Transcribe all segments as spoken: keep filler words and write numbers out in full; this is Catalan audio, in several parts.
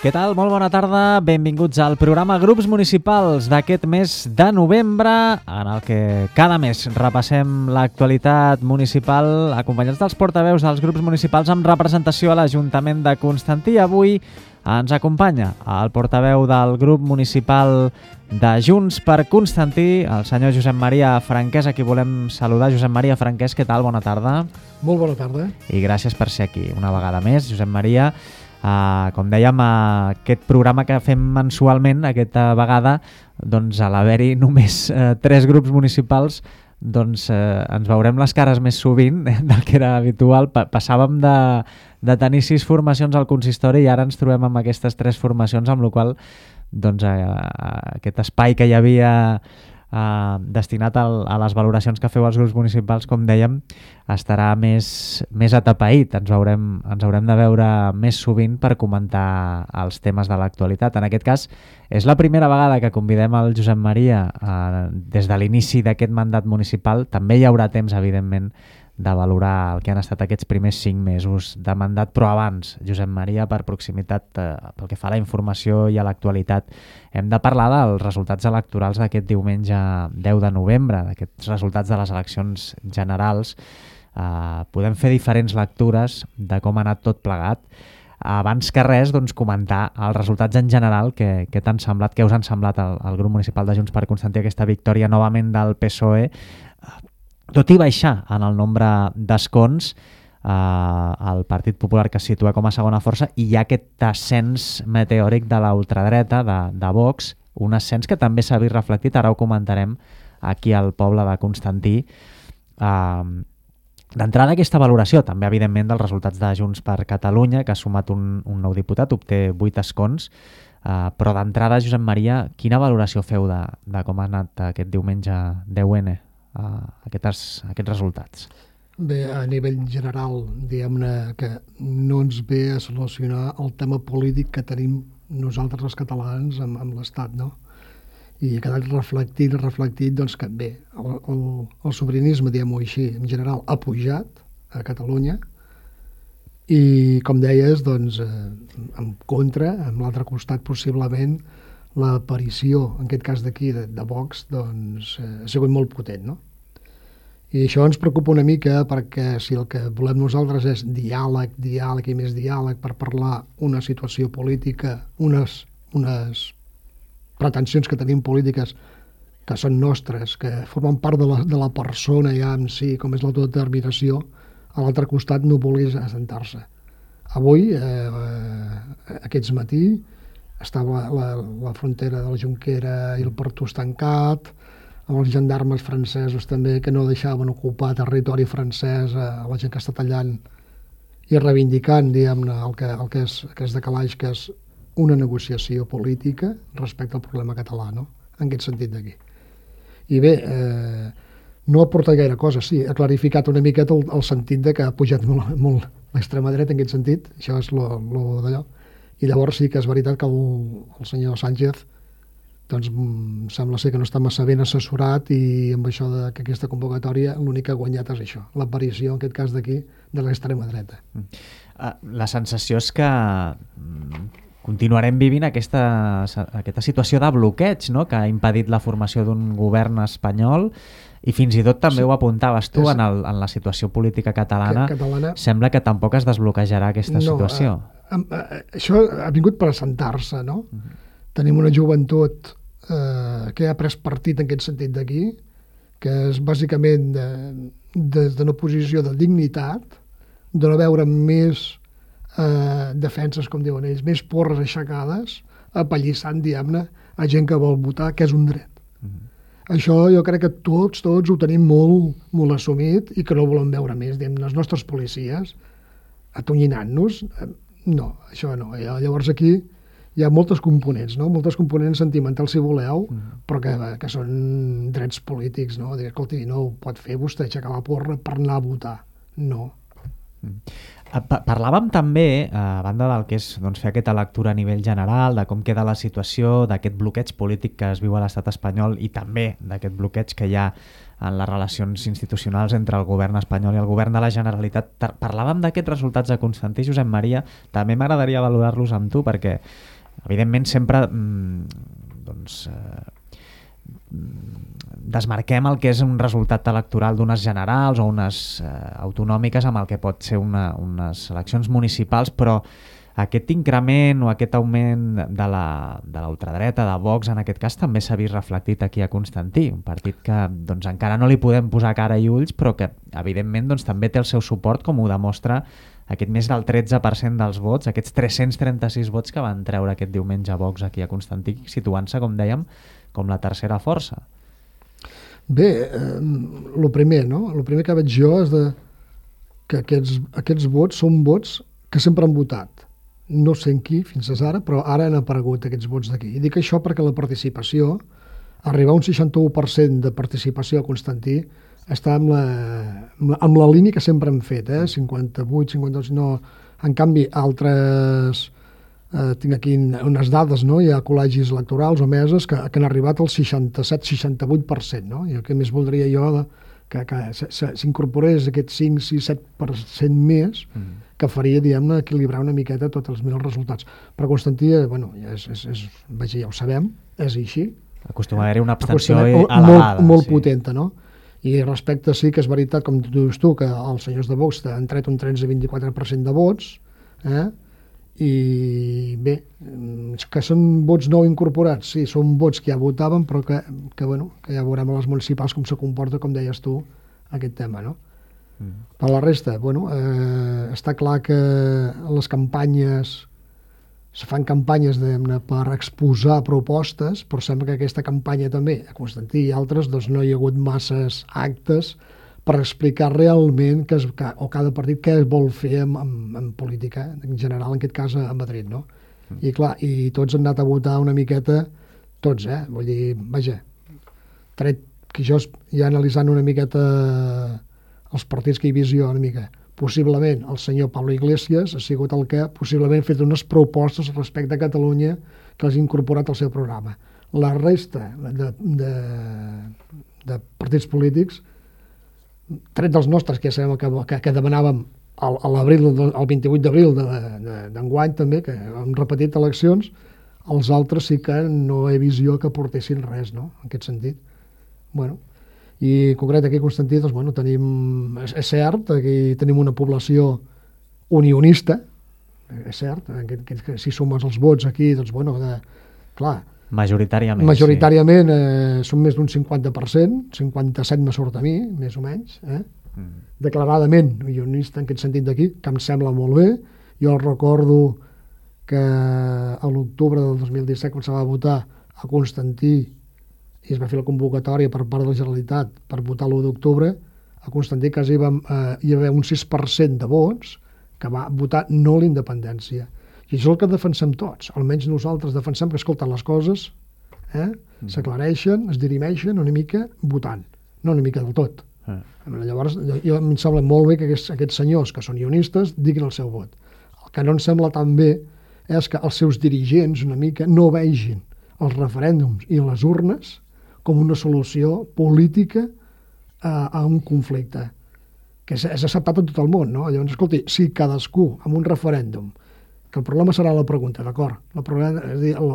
Què tal? Molt bona tarda, benvinguts al programa Grups Municipals d'aquest mes de novembre, en el que cada mes repassem l'actualitat municipal acompanyats dels portaveus dels grups municipals amb representació a l'Ajuntament de Constantí. Avui ens acompanya el portaveu del grup municipal de Junts per Constantí, el senyor Josep Maria Franquès, a qui volem saludar. Josep Maria Franquès, què tal? Bona tarda. Molt bona tarda. I gràcies per ser aquí una vegada més, Josep Maria. Uh, com dèiem, uh, aquest programa que fem mensualment, aquesta vegada, doncs a l'haver-hi només uh, tres grups municipals, doncs uh, ens veurem les cares més sovint del que era habitual. Pa passàvem de, de tenir sis formacions al consistori i ara ens trobem amb aquestes tres formacions, amb la qual cosa doncs, uh, aquest espai que hi havia Uh, destinat al, a les valoracions que feu els grups municipals, com dèiem, estarà més, més atapeït. Ens haurem, ens haurem de veure més sovint per comentar els temes de l'actualitat. En aquest cas, és la primera vegada que convidem el Josep Maria uh, des de l'inici d'aquest mandat municipal. També hi haurà temps, evidentment, de valorar el que han estat aquests primers cinc mesos de mandat, però abans, Josep Maria, per proximitat, eh, pel que fa a la informació i a l'actualitat, hem de parlar dels resultats electorals d'aquest diumenge deu de novembre, d'aquests resultats de les eleccions generals. Eh, podem fer diferents lectures de com ha anat tot plegat. Abans que res, doncs, comentar els resultats en general, que, que t'han semblat, que us han semblat al, al grup municipal de Junts per Constantí aquesta victòria novament del P S O E, tot i baixar en el nombre d'escons, eh, el Partit Popular, que es situa com a segona força, i hi ha aquest ascens meteòric de la ultradreta, de, de Vox, un ascens que també s'ha vist reflectit, ara ho comentarem aquí al poble de Constantí. Eh, D'entrada, aquesta valoració, també evidentment dels resultats de Junts per Catalunya, que ha sumat un, un nou diputat, obté vuit escons, eh, però d'entrada, Josep Maria, quina valoració feu de, de com ha anat aquest diumenge deu ene? Uh, aquests, aquests resultats? Bé, a nivell general, diguem-ne que no ens ve a solucionar el tema polític que tenim nosaltres els catalans amb, amb l'Estat, no? I ha quedat reflectit, reflectit, doncs que bé, el, el, el sobiranisme, diguem-ho així, en general, ha pujat a Catalunya i, com deies, doncs, eh, en contra, amb l'altre costat, possiblement, l'aparició, en aquest cas d'aquí, de, de Vox, doncs, eh, ha sigut molt potent, no? I això ens preocupa una mica perquè si el que volem nosaltres és diàleg, diàleg i més diàleg per parlar una situació política, unes, unes pretensions que tenim polítiques que són nostres, que formen part de la, de la persona ja en si, com és l'autodeterminació, a l'altre costat no vulguis assentar-se. Avui, eh, aquests matí, estava la, la frontera de la Jonquera i el Pertús tancat, amb els gendarmes francesos també que no deixaven ocupar territori francès a la gent que està tallant i reivindicant, diguem-ne, el que, el que és, que és de calaix, que és una negociació política respecte al problema català, no? En aquest sentit d'aquí. I bé, eh, no ha portat gaire cosa, sí, ha clarificat una miqueta el, el sentit de que ha pujat molt, molt l'extrema dreta en aquest sentit, això és lo, lo d'allò. I llavors sí que és veritat que el, el senyor Sánchez doncs sembla ser que no està massa ben assessorat i amb això de que aquesta convocatòria l'únic que ha guanyat és això, l'aparició, en aquest cas d'aquí, de l'extrema dreta. La sensació és que continuarem vivint aquesta, aquesta situació de bloqueig, no?, que ha impedit la formació d'un govern espanyol i fins i tot també sí. Ho apuntaves tu és... en, el, en la situació política catalana. catalana. Sembla que tampoc es desbloquejarà aquesta no, situació. Eh, eh, això ha vingut per assentar-se, no? Uh -huh. Tenim una joventut eh, que ha pres partit en aquest sentit d'aquí, que és bàsicament de, des d'una posició de dignitat, de no veure més eh, defenses, com diuen ells, més porres aixecades, apallissant, diguem-ne, a gent que vol votar, que és un dret. Uh -huh. Això jo crec que tots, tots ho tenim molt, molt assumit i que no volem veure més, diguem, les nostres policies atonyinant-nos. No, això no. Llavors aquí hi ha moltes components, no? Moltes components sentimentals, si voleu, mm. però que, que són drets polítics, no? Dir, escolti, no ho pot fer vostè aixecar la porra per anar a votar. No. Mm. Parlàvem també, a banda del que és doncs, fer aquesta lectura a nivell general, de com queda la situació, d'aquest bloqueig polític que es viu a l'estat espanyol i també d'aquest bloqueig que hi ha en les relacions institucionals entre el govern espanyol i el govern de la Generalitat. Parlàvem d'aquests resultats de Constantí. Josep Maria, també m'agradaria valorar-los amb tu perquè, evidentment, sempre doncs, eh, desmarquem el que és un resultat electoral d'unes generals o unes eh, autonòmiques amb el que pot ser una, unes eleccions municipals, però aquest increment o aquest augment de la, de l'ultradreta, de Vox en aquest cas, també s'ha vist reflectit aquí a Constantí, un partit que doncs, encara no li podem posar cara i ulls, però que evidentment doncs, també té el seu suport, com ho demostra aquest més del tretze per cent dels vots, aquests tres-cents trenta-sis vots que van treure aquest diumenge Vox aquí a Constantí, situant-se, com dèiem, com la tercera força. Bé, el eh, primer, no? El primer que veig jo és de que aquests, aquests vots són vots que sempre han votat. No sé en qui fins ara, però ara han aparegut aquests vots d'aquí. I dic això perquè la participació, arribar a un seixanta-u per cent de participació a Constantí, està amb la, amb la, amb la línia que sempre hem fet, eh? cinquanta-vuit, cinquanta-dos, no... En canvi, altres... Eh, tinc aquí unes dades, no? Hi ha col·legis electorals o meses que, que han arribat al seixanta-set seixanta-vuit per cent, no? I el que més voldria jo de, que, que s'incorporés aquest cinc sis set per cent més mm. que faria, diguem-ne, equilibrar una miqueta tots els millors resultats. Però Constantí, bueno, és, és, és, vaja, ja ho sabem, és així. Acostuma a haver-hi una abstenció elevada. Molt, molt sí. potenta, no? I respecte sí que és veritat, com tu dius tu, que els senyors de Vox han tret un tretze vint-i-quatre per cent de vots, eh? I bé, que són vots no incorporats, sí, són vots que ja votaven, però que, que, bueno, que ja veurem a les municipals com se comporta, com deies tu, aquest tema, no? Mm. Per la resta, bueno, eh, està clar que les campanyes, se fan campanyes per exposar propostes, però sembla que aquesta campanya també, a Constantí i altres, doncs no hi ha hagut masses actes per explicar realment que es, que, o cada partit què es vol fer en, en, en política, en general, en aquest cas a Madrid, no? Mm. I clar, i tots han anat a votar una miqueta, tots, eh? Vull dir, vaja, tret que jo ja analitzant una miqueta els partits que hi visió una mica, possiblement el senyor Pablo Iglesias ha sigut el que possiblement ha fet unes propostes respecte a Catalunya que les ha incorporat al seu programa. La resta de, de, de partits polítics, tret dels nostres, que ja sabem que, que, que demanàvem el, l'abril, el vint-i-vuit d'abril d'enguany també, que hem repetit eleccions, els altres sí que no he visió que portessin res, no?, en aquest sentit. Bueno, i en concret aquí a Constantí, doncs, bueno, tenim, és, és cert, aquí tenim una població unionista, és cert, que, que, que si sumes els vots aquí, doncs, bueno, de, clar, Majoritàriament, Majoritàriament sí. eh, són més d'un cinquanta per cent, cinquanta-set me surt a mi, més o menys, eh? Mm. Declaradament unionista en aquest sentit d'aquí, que em sembla molt bé. Jo recordo que a l'octubre del dos mil disset, quan se va votar a Constantí i es va fer la convocatòria per part de la Generalitat per votar l'u d'octubre, a Constantí quasi vam, eh, hi va haver un sis per cent de vots que va votar no la independència. I això és el que defensem tots, almenys nosaltres defensem que, escolta, les coses eh, mm. s'aclareixen, es dirimeixen una mica votant, no una mica del tot. Mm. Llavors, jo, em sembla molt bé que aquests, aquests senyors que són ionistes diguin el seu vot. El que no em sembla tan bé és que els seus dirigents una mica no vegin els referèndums i les urnes com una solució política a, a un conflicte que és, és acceptat en tot el món, no? Llavors, escolti, si cadascú amb un referèndum, que el problema serà la pregunta, d'acord? La problema, és a dir, el,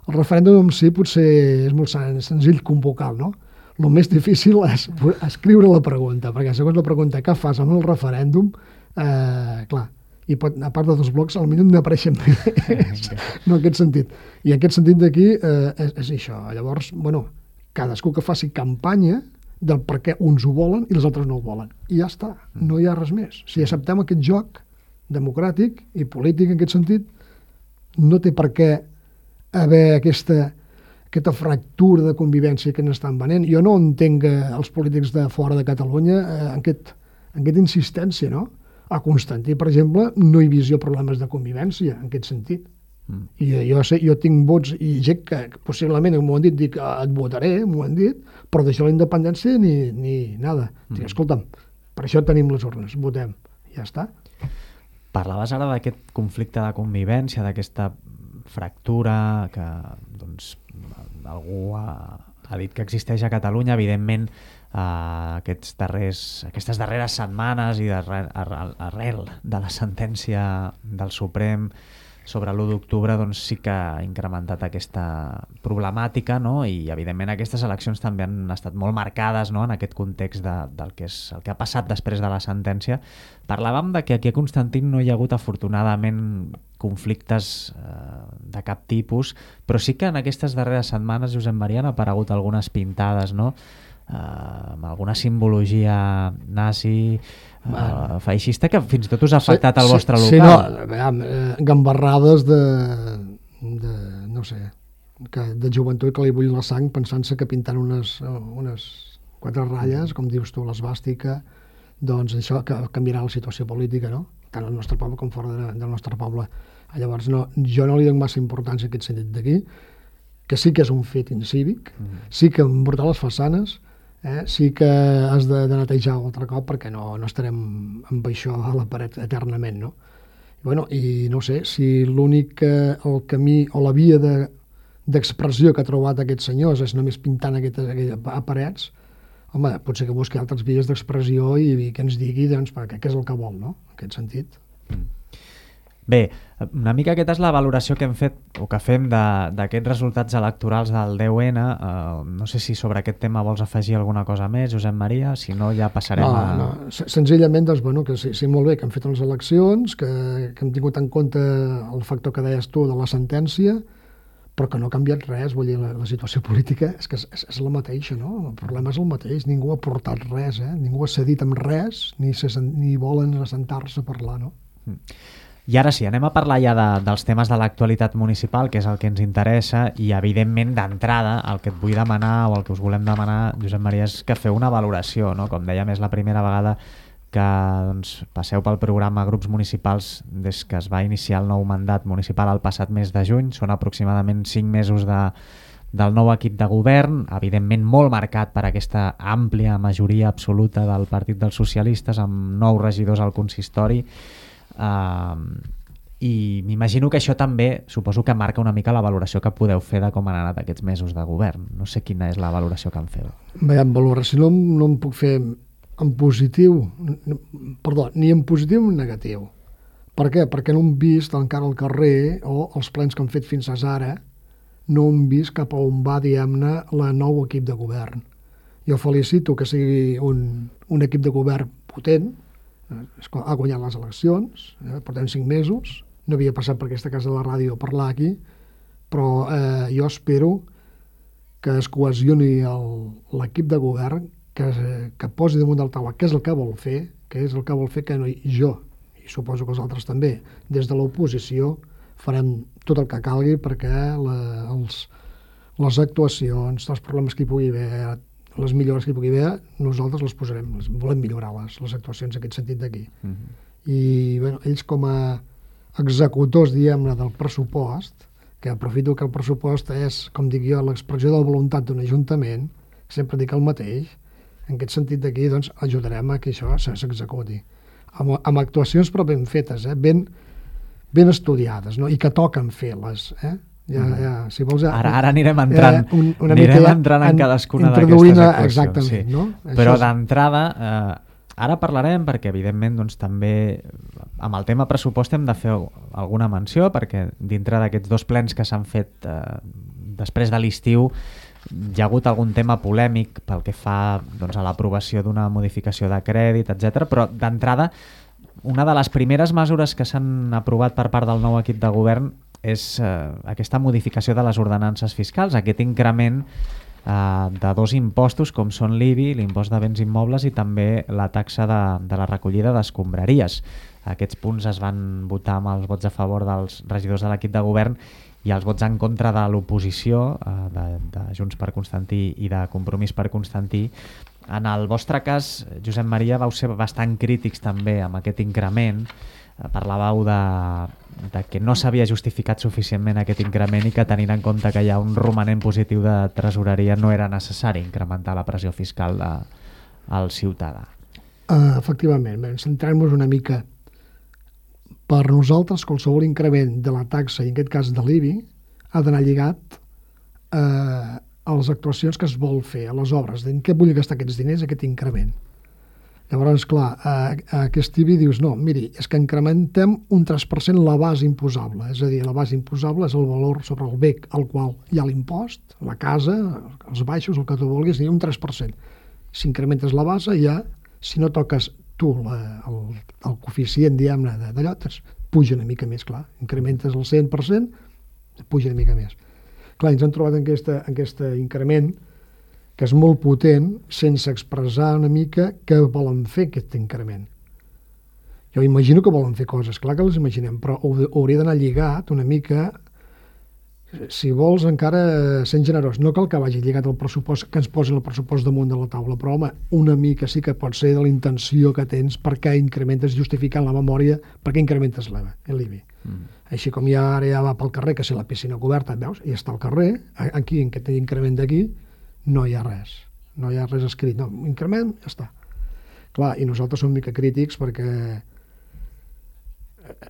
el referèndum en si potser és molt senzill convocar, no? El més difícil és escriure la pregunta, perquè segons la pregunta que fas amb el referèndum, eh, clar, i pot, a part de dos blocs, al mínim n'apareixen més, no en aquest sentit. I en aquest sentit d'aquí eh, és, és això. Llavors, bueno, cadascú que faci campanya del per què uns ho volen i els altres no ho volen. I ja està, no hi ha res més. Si acceptem aquest joc democràtic i polític en aquest sentit, no té per què haver aquesta, aquesta fractura de convivència que ens estan venent. Jo no entenc els polítics de fora de Catalunya eh, en, aquest, en aquesta insistència, no? A Constantí, per exemple, no hi visió problemes de convivència en aquest sentit. Mm. I jo, sé, jo tinc vots i gent que possiblement m'ho han dit, dic, et votaré, m'ho han dit, però d'això la independència ni, ni nada. Mm. Dic, escolta'm, per això tenim les urnes, votem, ja està. Parlaves ara d'aquest conflicte de convivència, d'aquesta fractura que doncs, algú ha, ha dit que existeix a Catalunya. Evidentment, eh, aquests darrers, aquestes darreres setmanes i darrer, arrel de la sentència del Suprem sobre l'u d'octubre, doncs sí que ha incrementat aquesta problemàtica, no? I evidentment aquestes eleccions també han estat molt marcades, no? En aquest context de, del que és el que ha passat després de la sentència. Parlàvem de que aquí a Constantin no hi ha hagut afortunadament conflictes eh, de cap tipus, però sí que en aquestes darreres setmanes, Josep Maria, han aparegut algunes pintades, no? Eh, amb alguna simbologia nazi, Uh, feixista, que fins i tot us ha afectat sí, al vostre local. Sí, no, veiem, eh, gambarrades de, de, no sé, que, de joventut que li bull la sang pensant-se que pintant unes, unes quatre ratlles, com dius tu, l'esbàstica, doncs això que canviarà la situació política, no? Tant al nostre poble com fora de, del nostre poble. Llavors, no, jo no li dono massa importància a aquest sentit d'aquí, que sí que és un fet incívic, mm. sí que embrutar les façanes, Eh? sí que has de, de netejar altre cop perquè no, no estarem amb això a la paret eternament, no? I, bueno, i no sé, si l'únic el camí o la via de, d'expressió que ha trobat aquests senyors és només pintant aquestes, aquestes parets, home, potser que busqui altres vies d'expressió i, i que ens digui doncs, què és el que vol, no? En aquest sentit. Mm. Bé, una mica aquesta és la valoració que hem fet o que fem d'aquests resultats electorals del deu ene. Uh, no sé si sobre aquest tema vols afegir alguna cosa més, Josep Maria, si no ja passarem no, a... No, senzillament, doncs, bueno, que sí, sí, molt bé que hem fet les eleccions, que, que hem tingut en compte el factor que deies tu de la sentència, però que no ha canviat res. Vull dir, la, la situació política és que és, és la mateixa, no? El problema és el mateix, ningú ha portat res, eh? Ningú ha cedit amb res, ni, se, ni volen assentar-se a parlar, no? Mm. I ara sí, anem a parlar ja de, dels temes de l'actualitat municipal, que és el que ens interessa, i evidentment d'entrada el que et vull demanar o el que us volem demanar, Josep Maria, és que feu una valoració, no? Com dèiem, és la primera vegada que doncs, passeu pel programa Grups Municipals des que es va iniciar el nou mandat municipal el passat mes de juny. Són aproximadament cinc mesos de, del nou equip de govern, evidentment molt marcat per aquesta àmplia majoria absoluta del Partit dels Socialistes, amb nou regidors al consistori. Uh, i m'imagino que això també suposo que marca una mica la valoració que podeu fer de com han anat aquests mesos de govern. No sé quina és la valoració que en feu. Bé, en valoració no, no em puc fer en positiu, perdó, ni en positiu ni en negatiu. Per què? Perquè no hem vist encara al carrer o els plens que han fet fins ara, no hem vist cap a on va, diguem-ne, la nou equip de govern. Jo felicito que sigui un, un equip de govern potent, ha guanyat les eleccions, eh, portem cinc mesos, no havia passat per aquesta casa de la ràdio a parlar aquí, però eh, jo espero que es cohesioni l'equip de govern, que, que posi damunt del taula què és el que vol fer, què és el que vol fer que no, jo, i suposo que els altres també, des de l'oposició farem tot el que calgui perquè la, els, les actuacions, els problemes que hi pugui haver, les millores que hi pugui haver, nosaltres les posarem, les, volem millorar les, les actuacions en aquest sentit d'aquí. Mm-hmm. I bueno, ells com a executors, diguem-ne, del pressupost, que aprofito que el pressupost és, com dic jo, l'expressió de la voluntat d'un ajuntament, sempre dic el mateix, en aquest sentit d'aquí doncs, ajudarem a que això s'executi. Amb, amb actuacions però ben fetes, eh? ben, ben estudiades, no? I que toquen fer-les, eh? Ja, ja, si vols, ja, ara, ara anirem entrant, eh, un, una anirem entrant en, en cadascuna d'aquestes actuacions. Exactament, sí. No? Però és... d'entrada, eh, ara parlarem perquè evidentment doncs, també amb el tema pressupost hem de fer alguna menció perquè dintre d'aquests dos plens que s'han fet eh, després de l'estiu hi ha hagut algun tema polèmic pel que fa doncs, a l'aprovació d'una modificació de crèdit, etcètera. Però d'entrada, una de les primeres mesures que s'han aprovat per part del nou equip de govern és eh, aquesta modificació de les ordenances fiscals, aquest increment eh, de dos impostos com són l'I B I, l'impost de béns immobles i també la taxa de, de la recollida d'escombraries. Aquests punts es van votar amb els vots a favor dels regidors de l'equip de govern i els vots en contra de l'oposició eh, de, de Junts per Constantí i de Compromís per Constantí. En el vostre cas, Josep Maria, vau ser bastant crítics també amb aquest increment. Parlàveu de, de que no s'havia justificat suficientment aquest increment i que tenint en compte que hi ha un romanent positiu de tresoreria no era necessari incrementar la pressió fiscal de, al ciutadà. Uh, efectivament, centrem-nos una mica Per nosaltres, qualsevol increment de la taxa, i en aquest cas de l'I B I, ha d'anar lligat eh, a les actuacions que es vol fer, a les obres, en què vull gastar aquests diners, aquest increment. Llavors, clar, a, a aquest I B I dius, no, miri, és que incrementem un tres per cent la base imposable, és a dir, la base imposable és el valor sobre el bé al qual hi ha l'impost, la casa, els baixos, el que tu vulguis, i un tres per cent. Si incrementes la base, ja, si no toques tu la, el, el coeficient, diguem-ne, d'allò, puja una mica més, clar. Incrementes el cent per cent, puja una mica més. Clar, ens han trobat en aquest en aquesta increment que és molt potent sense expressar una mica què volen fer aquest increment. Jo imagino que volen fer coses, clar que les imaginem, però hauria d'anar lligat una mica, si vols encara sent generós. No cal que vagi lligat al pressupost, que ens posin el pressupost damunt de la taula, però home, una mica sí que pot ser de la intenció que tens per què incrementes, justificant la memòria, per què incrementes l'I B I. Mm. Així com ja ara ja va pel carrer, que si la piscina coberta, veus, ja està al carrer, aquí, en aquest increment d'aquí, no hi ha res. No hi ha res escrit. No, increment, ja està. Clar, i nosaltres som mica crítics perquè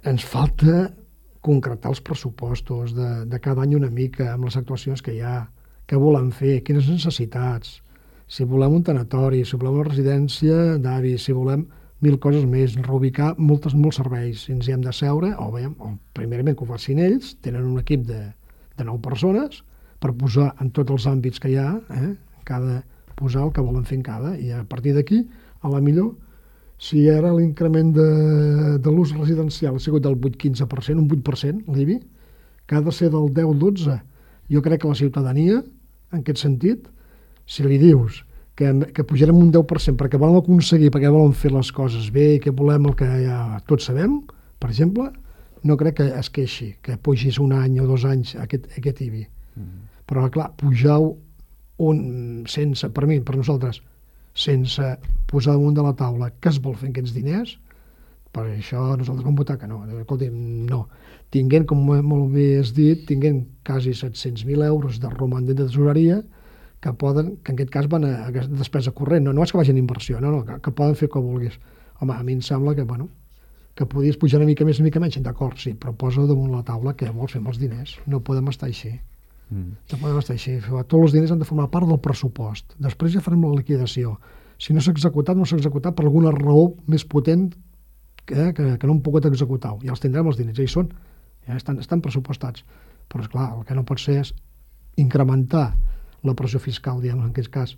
ens falta concretar els pressupostos de, de cada any una mica amb les actuacions que hi ha, què volen fer, quines necessitats, si volem un tanatori, si volem una residència d'avis, si volem mil coses més, reubicar moltes, molts serveis, si ens hi hem de seure, o, veiem, o primerament que ho facin ells, tenen un equip de, de nou persones per posar en tots els àmbits que hi ha, eh, cada posar el que volen fer en cada, i a partir d'aquí, a la millor, si ara l'increment de, de l'ús residencial ha sigut del vuit coma quinze per cent, un vuit per cent, l'I B I, que ha de ser del deu dotze. Jo crec que la ciutadania, en aquest sentit, si li dius que, que pujarem un deu per cent perquè volem aconseguir, perquè volen fer les coses bé i que volem el que ja tots sabem, per exemple, no crec que es queixi, que pugis un any o dos anys aquest, aquest I B I. Mm. Però, clar, pujar-ho un, sense, per mi, per nosaltres, sense posar damunt de la taula què es vol fer amb aquests diners, per això nosaltres vam votar que no. Escolti, no. Tinguent, com molt bé has dit, tinguent quasi set-cents mil euros de romanent de tesoreria que poden, que en aquest cas van a, a despesa corrent, no, no és que vagin a inversió, no, no, que, que poden fer com vulguis. Home, a mi em sembla que, bueno, que podies pujar una mica més, una mica menys, d'acord, sí, però posa damunt la taula què vols fer amb els diners. No podem estar així. Mm. No podem estar així. Tots els diners han de formar part del pressupost. Després ja farem la liquidació. Si no s'ha executat, no s'ha executat per alguna raó més potent que, que, que no hem pogut executar. Ja els tindrem els diners, ja hi són. Ja estan, estan pressupostats. Però, esclar, el que no pot ser és incrementar la pressió fiscal, diguem, en aquest cas,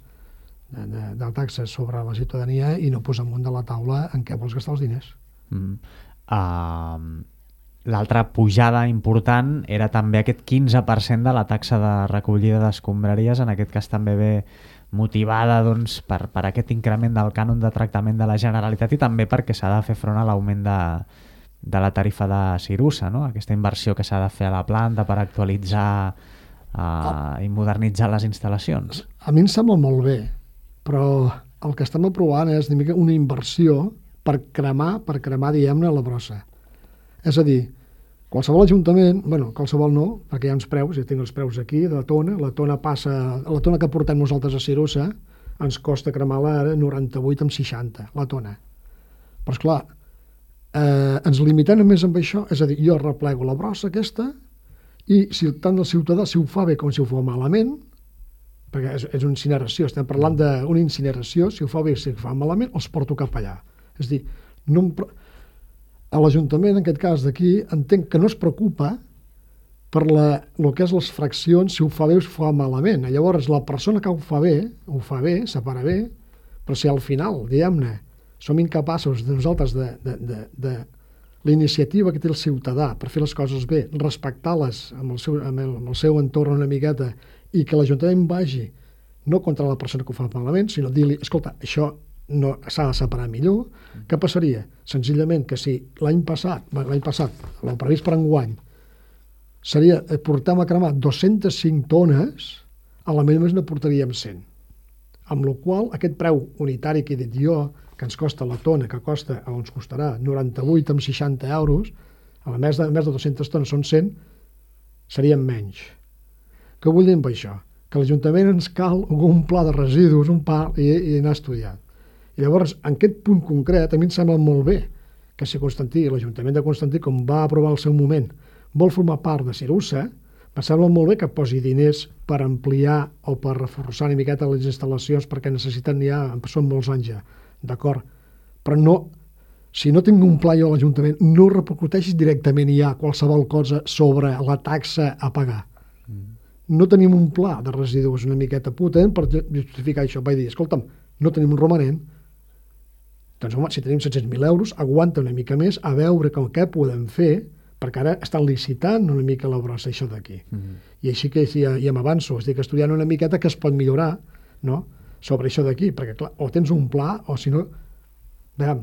de, de, de taxes sobre la ciutadania i no posar amunt de la taula en què vols gastar els diners. Mm. Uh... L'altra pujada important era també aquest quinze per cent de la taxa de recollida d'escombraries, en aquest cas també ve motivada doncs, per, per aquest increment del cànon de tractament de la Generalitat i també perquè s'ha de fer front a l'augment de, de la tarifa de Cirusa, no? Aquesta inversió que s'ha de fer a la planta per actualitzar uh, i modernitzar les instal·lacions. A mi em sembla molt bé, però el que estem aprovant és una mica una inversió per cremar, per cremar, diguem-ne, la brossa. És a dir, qualsevol ajuntament, bueno, qualsevol no, perquè hi ha uns preus, ja tinc els preus aquí, de la tona, la tona passa, la tona que portem nosaltres a Cirusa, ens costa cremar-la ara noranta-vuit amb seixanta, la tona. Però, esclar, eh, ens limitem només amb això, és a dir, jo replego la brossa aquesta, i si tant el ciutadà, si ho fa bé com si ho fa malament, perquè és, és una incineració, estem parlant d'una incineració, si ho fa bé o si ho fa malament, els porto cap allà. És a dir, no em... A l'Ajuntament, en aquest cas d'aquí, entenc que no es preocupa per la, el que és les fraccions, si ho fa bé o si ho fa malament. Llavors, la persona que ho fa bé, ho fa bé, separa bé, però si al final, diguem-ne, som incapaços de nosaltres de, de, de, de la iniciativa que té el ciutadà per fer les coses bé, respectar-les amb el seu, amb el, amb el seu entorn una miqueta i que l'Ajuntament vagi no contra la persona que ho fa malament, sinó dir-li, escolta, això no s'ha de separar millor. Què passaria? Senzillament que si l'any passat, l'any passat, el previst per enguany, seria, portem a cremar dues-centes cinc tones, a la més ne portaríem cent. Amb la qual aquest preu unitari que he dit jo, que ens costa la tona, que costa, o ens costarà noranta-vuit amb seixanta euros, a la més de, més de dues-centes tones són cent, serien menys. Què vull dir amb això? Que l'Ajuntament ens cal un pla de residus, un pla, i, i anar estudiant. I llavors, en aquest punt concret, a mi em sembla molt bé que si Constantí, l'Ajuntament de Constantí, com va aprovar el seu moment, vol formar part de Cirussa, em sembla molt bé que posi diners per ampliar o per reforçar una miqueta les instal·lacions perquè necessiten ja, són molts anys ja, d'acord? Però no, si no tinc un pla jo a l'Ajuntament, no repercuteixis directament ja qualsevol cosa sobre la taxa a pagar. Mm. No tenim un pla de residus una miqueta potent per justificar això. Vaig dir, escolta'm, no tenim un romanent, doncs home, si tenim set-cents mil euros, aguanta una mica més a veure com què podem fer, perquè ara estan licitant una mica la brossa això d'aquí. Mm-hmm. I així que ja, ja m'avanço, estic estudiant una miqueta que es pot millorar, no?, sobre això d'aquí, perquè clar, o tens un pla o si no... Veiem,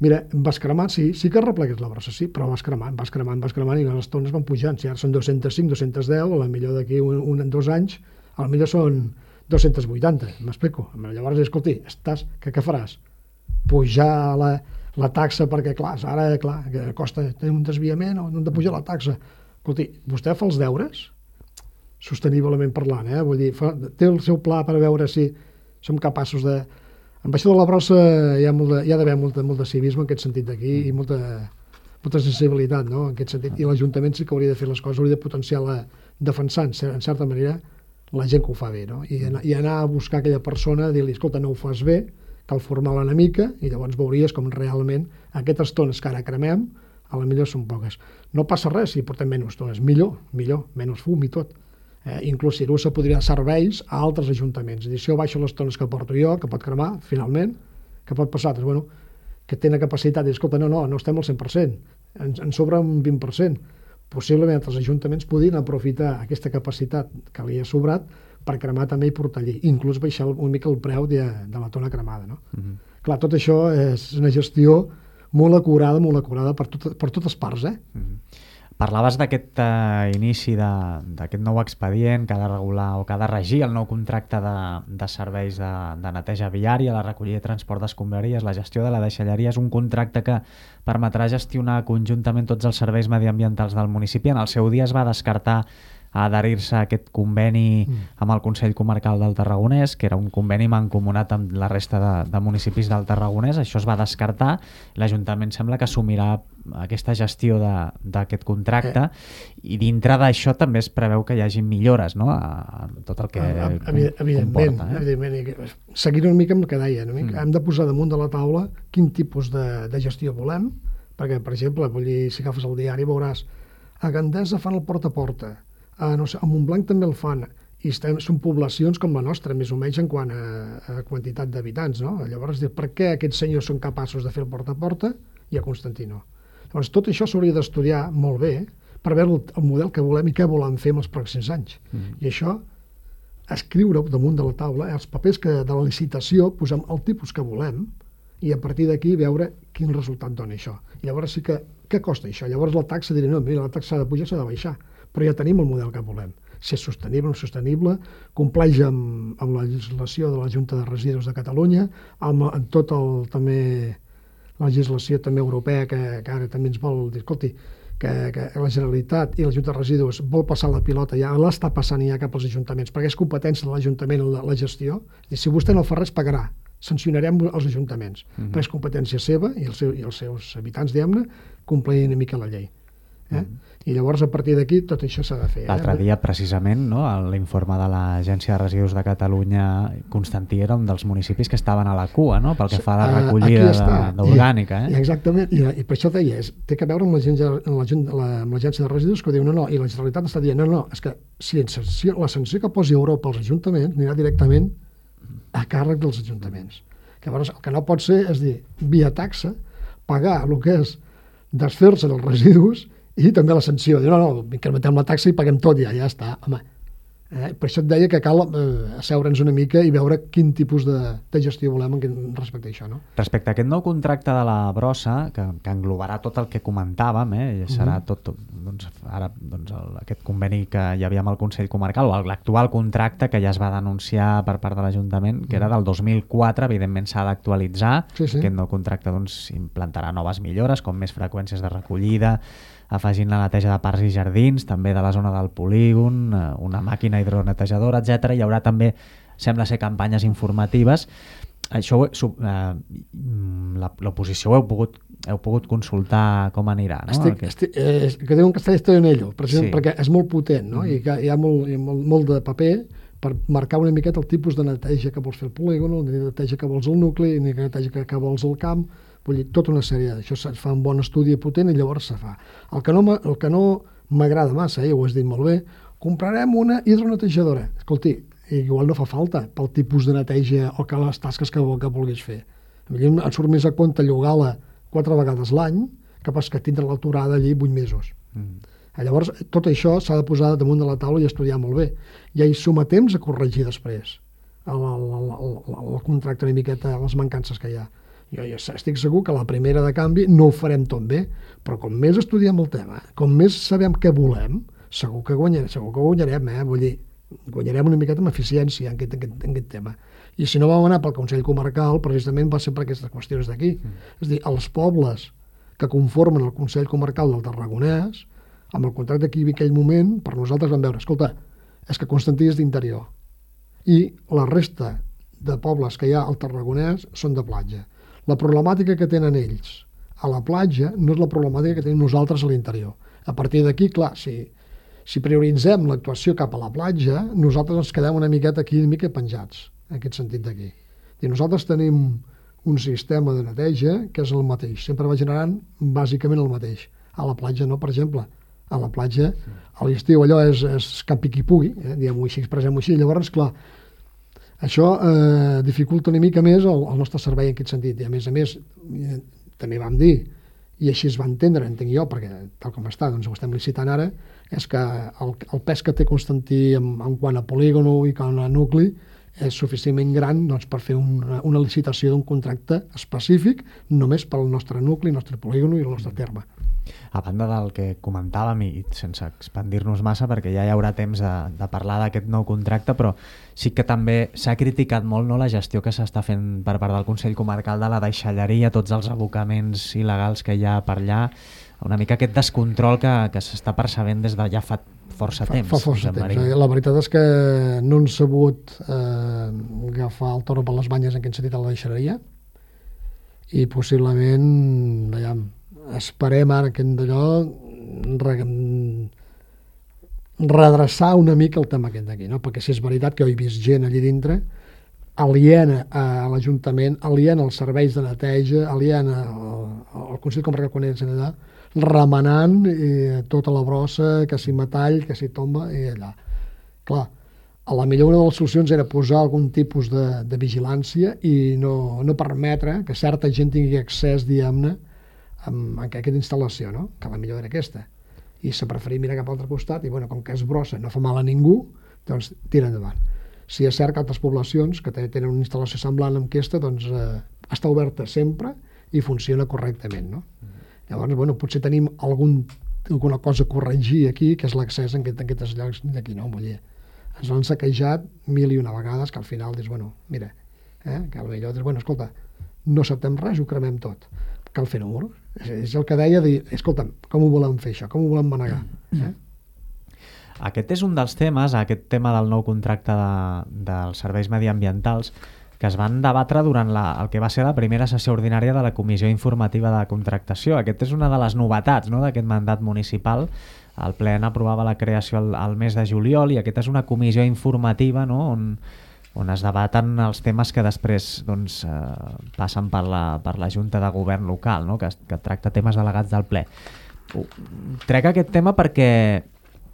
mira, vas cremant, sí, sí que arreplegues la brossa, sí, però vas cremant, vas cremant, vas cremant i les tones van pujant. Si ara són dos-cents cinc, dos-cents deu, a la millor d'aquí un, un, dos anys, a la millor són dos-cents vuitanta, m'explico. Llavors, escolti, estàs, què, què faràs? Pujar la, la taxa perquè, clar, ara, clar, que costa tenir un desviament o no hem de pujar la taxa. Escolti, vostè fa els deures, sosteniblement parlant, eh? Vull dir, fa, té el seu pla per veure si som capaços de... Amb això de la brossa hi ha, molt de, hi ha d'haver molt, molt de civisme en aquest sentit d'aquí i molta, molta sensibilitat, no?, en aquest sentit. I l'Ajuntament sí que hauria de fer les coses, hauria de potenciar-la defensant, en certa manera, la gent que ho fa bé, no? I anar, i anar a buscar aquella persona, dir-li, escolta, no ho fas bé, cal formar-la una mica, i llavors veuries com realment aquestes tones que ara cremem, a la millor són poques. No passa res si portem menys tones, millor, millor, menys fum i tot. Eh, inclús Cirussa podria dar serveis a altres ajuntaments. És a dir, si jo baixo les tones que porto jo, que pot cremar, finalment, que pot passar? Doncs, bueno, que té la capacitat de dir, escolta, no, no, no estem al cent per cent, ens, ens sobra un vint per cent. Possiblement els ajuntaments podien aprofitar aquesta capacitat que li ha sobrat per cremar també i portar allí, inclús baixar una mica el preu de, de la tona cremada, no? Mm-hmm. Clar, tot això és una gestió molt acurada, molt acurada per, tot, per totes parts, eh? Mm-hmm. Parlaves d'aquest uh, inici d'aquest nou expedient que ha de regular o que ha de regir el nou contracte de, de serveis de, de neteja viària, la recollida i transport d'escombraries, la gestió de la deixalleria. És un contracte que permetrà gestionar conjuntament tots els serveis mediambientals del municipi. En el seu dia es va descartar a adherir-se a aquest conveni amb el Consell Comarcal del Tarragonès, que era un conveni mancomunat amb la resta de, de municipis del Tarragonès. Això es va descartar. L'Ajuntament sembla que assumirà aquesta gestió d'aquest contracte eh. i dintre d'això també es preveu que hi hagi millores, no?, a, a tot el que a, a, evidentment, comporta. Eh? Evidentment. Seguint una mica amb el que deia, no? mm. hem de posar damunt de la taula quin tipus de, de gestió volem, perquè, per exemple, vull dir, si agafes el diari veuràs a Gandesa fan el porta a porta, a, no sé, a Montblanc també el fan, i estem, són poblacions com la nostra, més o menys en quant a, a quantitat d'habitants, no? Llavors, per què aquests senyors són capaços de fer el porta a porta i a Constantí no? Llavors, tot això s'hauria d'estudiar molt bé per veure el, el model que volem i què volem fer en els pròxims anys. Mm. I això, escriure damunt de la taula, els papers que de la licitació, posem el tipus que volem i a partir d'aquí veure quin resultat dona això. I llavors sí que, què costa això? Llavors la taxa diré, no, mira, la taxa de pujar s'ha de baixar, però ja tenim el model que volem. Si és sostenible o no sostenible, compleix amb, amb la legislació de la Junta de Residus de Catalunya, amb, amb tot el, també, la legislació també europea, que, que ara també ens vol dir, escolti, que, que la Generalitat i la Junta de Residus vol passar la pilota, ja l'està passant ja cap als ajuntaments, perquè és competència de l'Ajuntament la, la gestió, i si vostè no fa res, pagarà. Sancionarem els ajuntaments, mm-hmm. perquè és competència seva i, el seu, i els seus habitants, diguem-ne, compleixin una mica la llei. Eh? Mm-hmm. I llavors a partir d'aquí tot això s'ha de fer. L'altre eh? dia precisament, no, l'informe de l'Agència de Residus de Catalunya, Constantí era un dels municipis que estaven a la cua, no?, pel que fa a la recollida d'orgànica. Eh? I, exactament, I, i per això deia, és, té que veure amb l'Agència de Residus, que diu no, no, i la Generalitat està dient no, no, és que si la sanció que posi Europa als ajuntaments anirà directament a càrrec dels ajuntaments. Llavors el que no pot ser és dir, via taxa, pagar el que és desfer-se dels residus i també la sanció. Diu, no, no, incrementem la taxa i paguem tot, ja, ja està. Home, eh? Per això et deia que cal eh, asseure'ns una mica i veure quin tipus de, de gestió volem respecte a això. No? Respecte a aquest nou contracte de la brossa, que, que englobarà tot el que comentàvem, eh? I serà mm-hmm. tot, doncs, ara doncs, el, aquest conveni que hi havia amb el Consell Comarcal, o l'actual contracte que ja es va denunciar per part de l'Ajuntament, que era del dos mil quatre, evidentment s'ha d'actualitzar. Sí, sí. Aquest nou contracte doncs, implantarà noves millores, com més freqüències de recollida, afegint la neteja de parcs i jardins, també de la zona del polígon, una màquina hidronetejadora, etcètera. Hi haurà també, sembla ser, campanyes informatives. Això, eh, l'oposició ho heu pogut heu pogut consultar com anirà, no? Estic, estic, eh, que diuen que està esto en ello, precisament sí. perquè és molt potent, no? Mm-hmm. I que hi ha, molt, hi ha molt, molt de paper per marcar una miqueta el tipus de neteja que vols fer el polígon, el de neteja que vols el nucli, el de neteja que, que vols el camp, vull dir, tota una sèrie d'això, es fa un bon estudi potent i llavors se fa. El que no, el que no m'agrada massa, ja ho has dit molt bé, comprarem una hidronetejadora. Escolti, igual no fa falta pel tipus de neteja o que les tasques que, que vulguis fer. A mi em surt més a compte llogar-la quatre vegades l'any que pas que tindre l'aturada allí vuit mesos. Mm. Llavors, tot això s'ha de posar damunt de la taula i estudiar molt bé. I hi som a temps a corregir després el, el, el, el, el contracte una miqueta, les mancances que hi ha. Jo, jo estic segur que la primera de canvi no ho farem tot bé, però com més estudiem el tema, com més sabem què volem, segur que guanyarem, segur que guanyarem, eh? Vull dir, guanyarem una miqueta amb eficiència en aquest, en aquest, en aquest tema. I si no vam anar pel Consell Comarcal, precisament va ser per aquestes qüestions d'aquí. Mm. És a dir, els pobles que conformen el Consell Comarcal del Tarragonès, amb el contracte que hi havia en aquell moment, per nosaltres vam veure, escolta, és que Constantí és d'interior i la resta de pobles que hi ha al Tarragonès són de platja. La problemàtica que tenen ells a la platja no és la problemàtica que tenim nosaltres a l'interior. A partir d'aquí, clar, si, si prioritzem l'actuació cap a la platja, nosaltres ens quedem una miqueta aquí, una mica penjats, en aquest sentit d'aquí. I nosaltres tenim un sistema de neteja que és el mateix, sempre va generant bàsicament el mateix. A la platja no, per exemple. A la platja, a l'estiu allò és, és campi qui pugui, eh? diguem-ho així, expressem-ho així. Llavors, clar, això eh, dificulta una mica més el, el nostre servei en aquest sentit. I a més a més, eh, també vam dir, i així es va entendre, entenc jo, perquè tal com està, doncs ho estem licitant ara, és que el, el pes que té Constantí en, en quant a polígono i quant a nucli és suficientment gran doncs, per fer una, una licitació d'un contracte específic només pel nostre nucli, el nostre polígono i el nostre terme. A banda del que comentàvem, i sense expandir-nos massa, perquè ja hi haurà temps de, de parlar d'aquest nou contracte, però sí que també s'ha criticat molt, no, la gestió que s'està fent per part del Consell Comarcal de la deixalleria, tots els abocaments il·legals que hi ha per allà, una mica aquest descontrol que, que s'està percebent des de ja fa força temps. Fa, fa força temps. Eh? La veritat és que no han sabut eh, agafar el toro per les banyes en aquest sentit a la deixalleria i possiblement, veiem, esperem ara que d'allò re, redreçar una mica el tema aquest d'aquí, no? Perquè si és veritat que jo he vist gent allí dintre aliena a l'Ajuntament, aliena als serveis de neteja, aliena al, al Consell Comarcal quan ells allà, remenant eh, tota la brossa, que si metall, que si tomba, i allà. Clar, a la millor una de les solucions era posar algun tipus de, de vigilància i no, no permetre que certa gent tingui accés, diguem-ne, amb, amb aquesta instal·lació, no? Que la millor era aquesta. I s'ha preferit mirar cap a l'altre costat i, bueno, com que és brossa, no fa mal a ningú, doncs tira endavant. Si és cert que altres poblacions que tenen una instal·lació semblant amb aquesta, doncs eh, està oberta sempre i funciona correctament, no? Mm. Llavors, bueno, potser tenim algun, alguna cosa a corregir aquí, que és l'accés en, aquest, en aquests llocs d'aquí, no? Vull dir, ens han saquejat mil i una vegades que al final dius, bueno, mira, eh, que al millor dius, bueno, escolta, no acceptem res, ho cremem tot. Cal fer números. És, és el que deia, dir, escolta, com ho volem fer això? Com ho volem manegar? Eh? Aquest és un dels temes, aquest tema del nou contracte de, dels serveis mediambientals, que es van debatre durant la, el que va ser la primera sessió ordinària de la Comissió Informativa de Contractació. Aquest és una de les novetats, no?, d'aquest mandat municipal. El ple aprovava la creació al, al mes de juliol i aquesta és una comissió informativa, no?, on, on es debaten els temes que després doncs, eh, passen per la, per la Junta de Govern local, no?, que, que tracta temes delegats del ple. Trec aquest tema perquè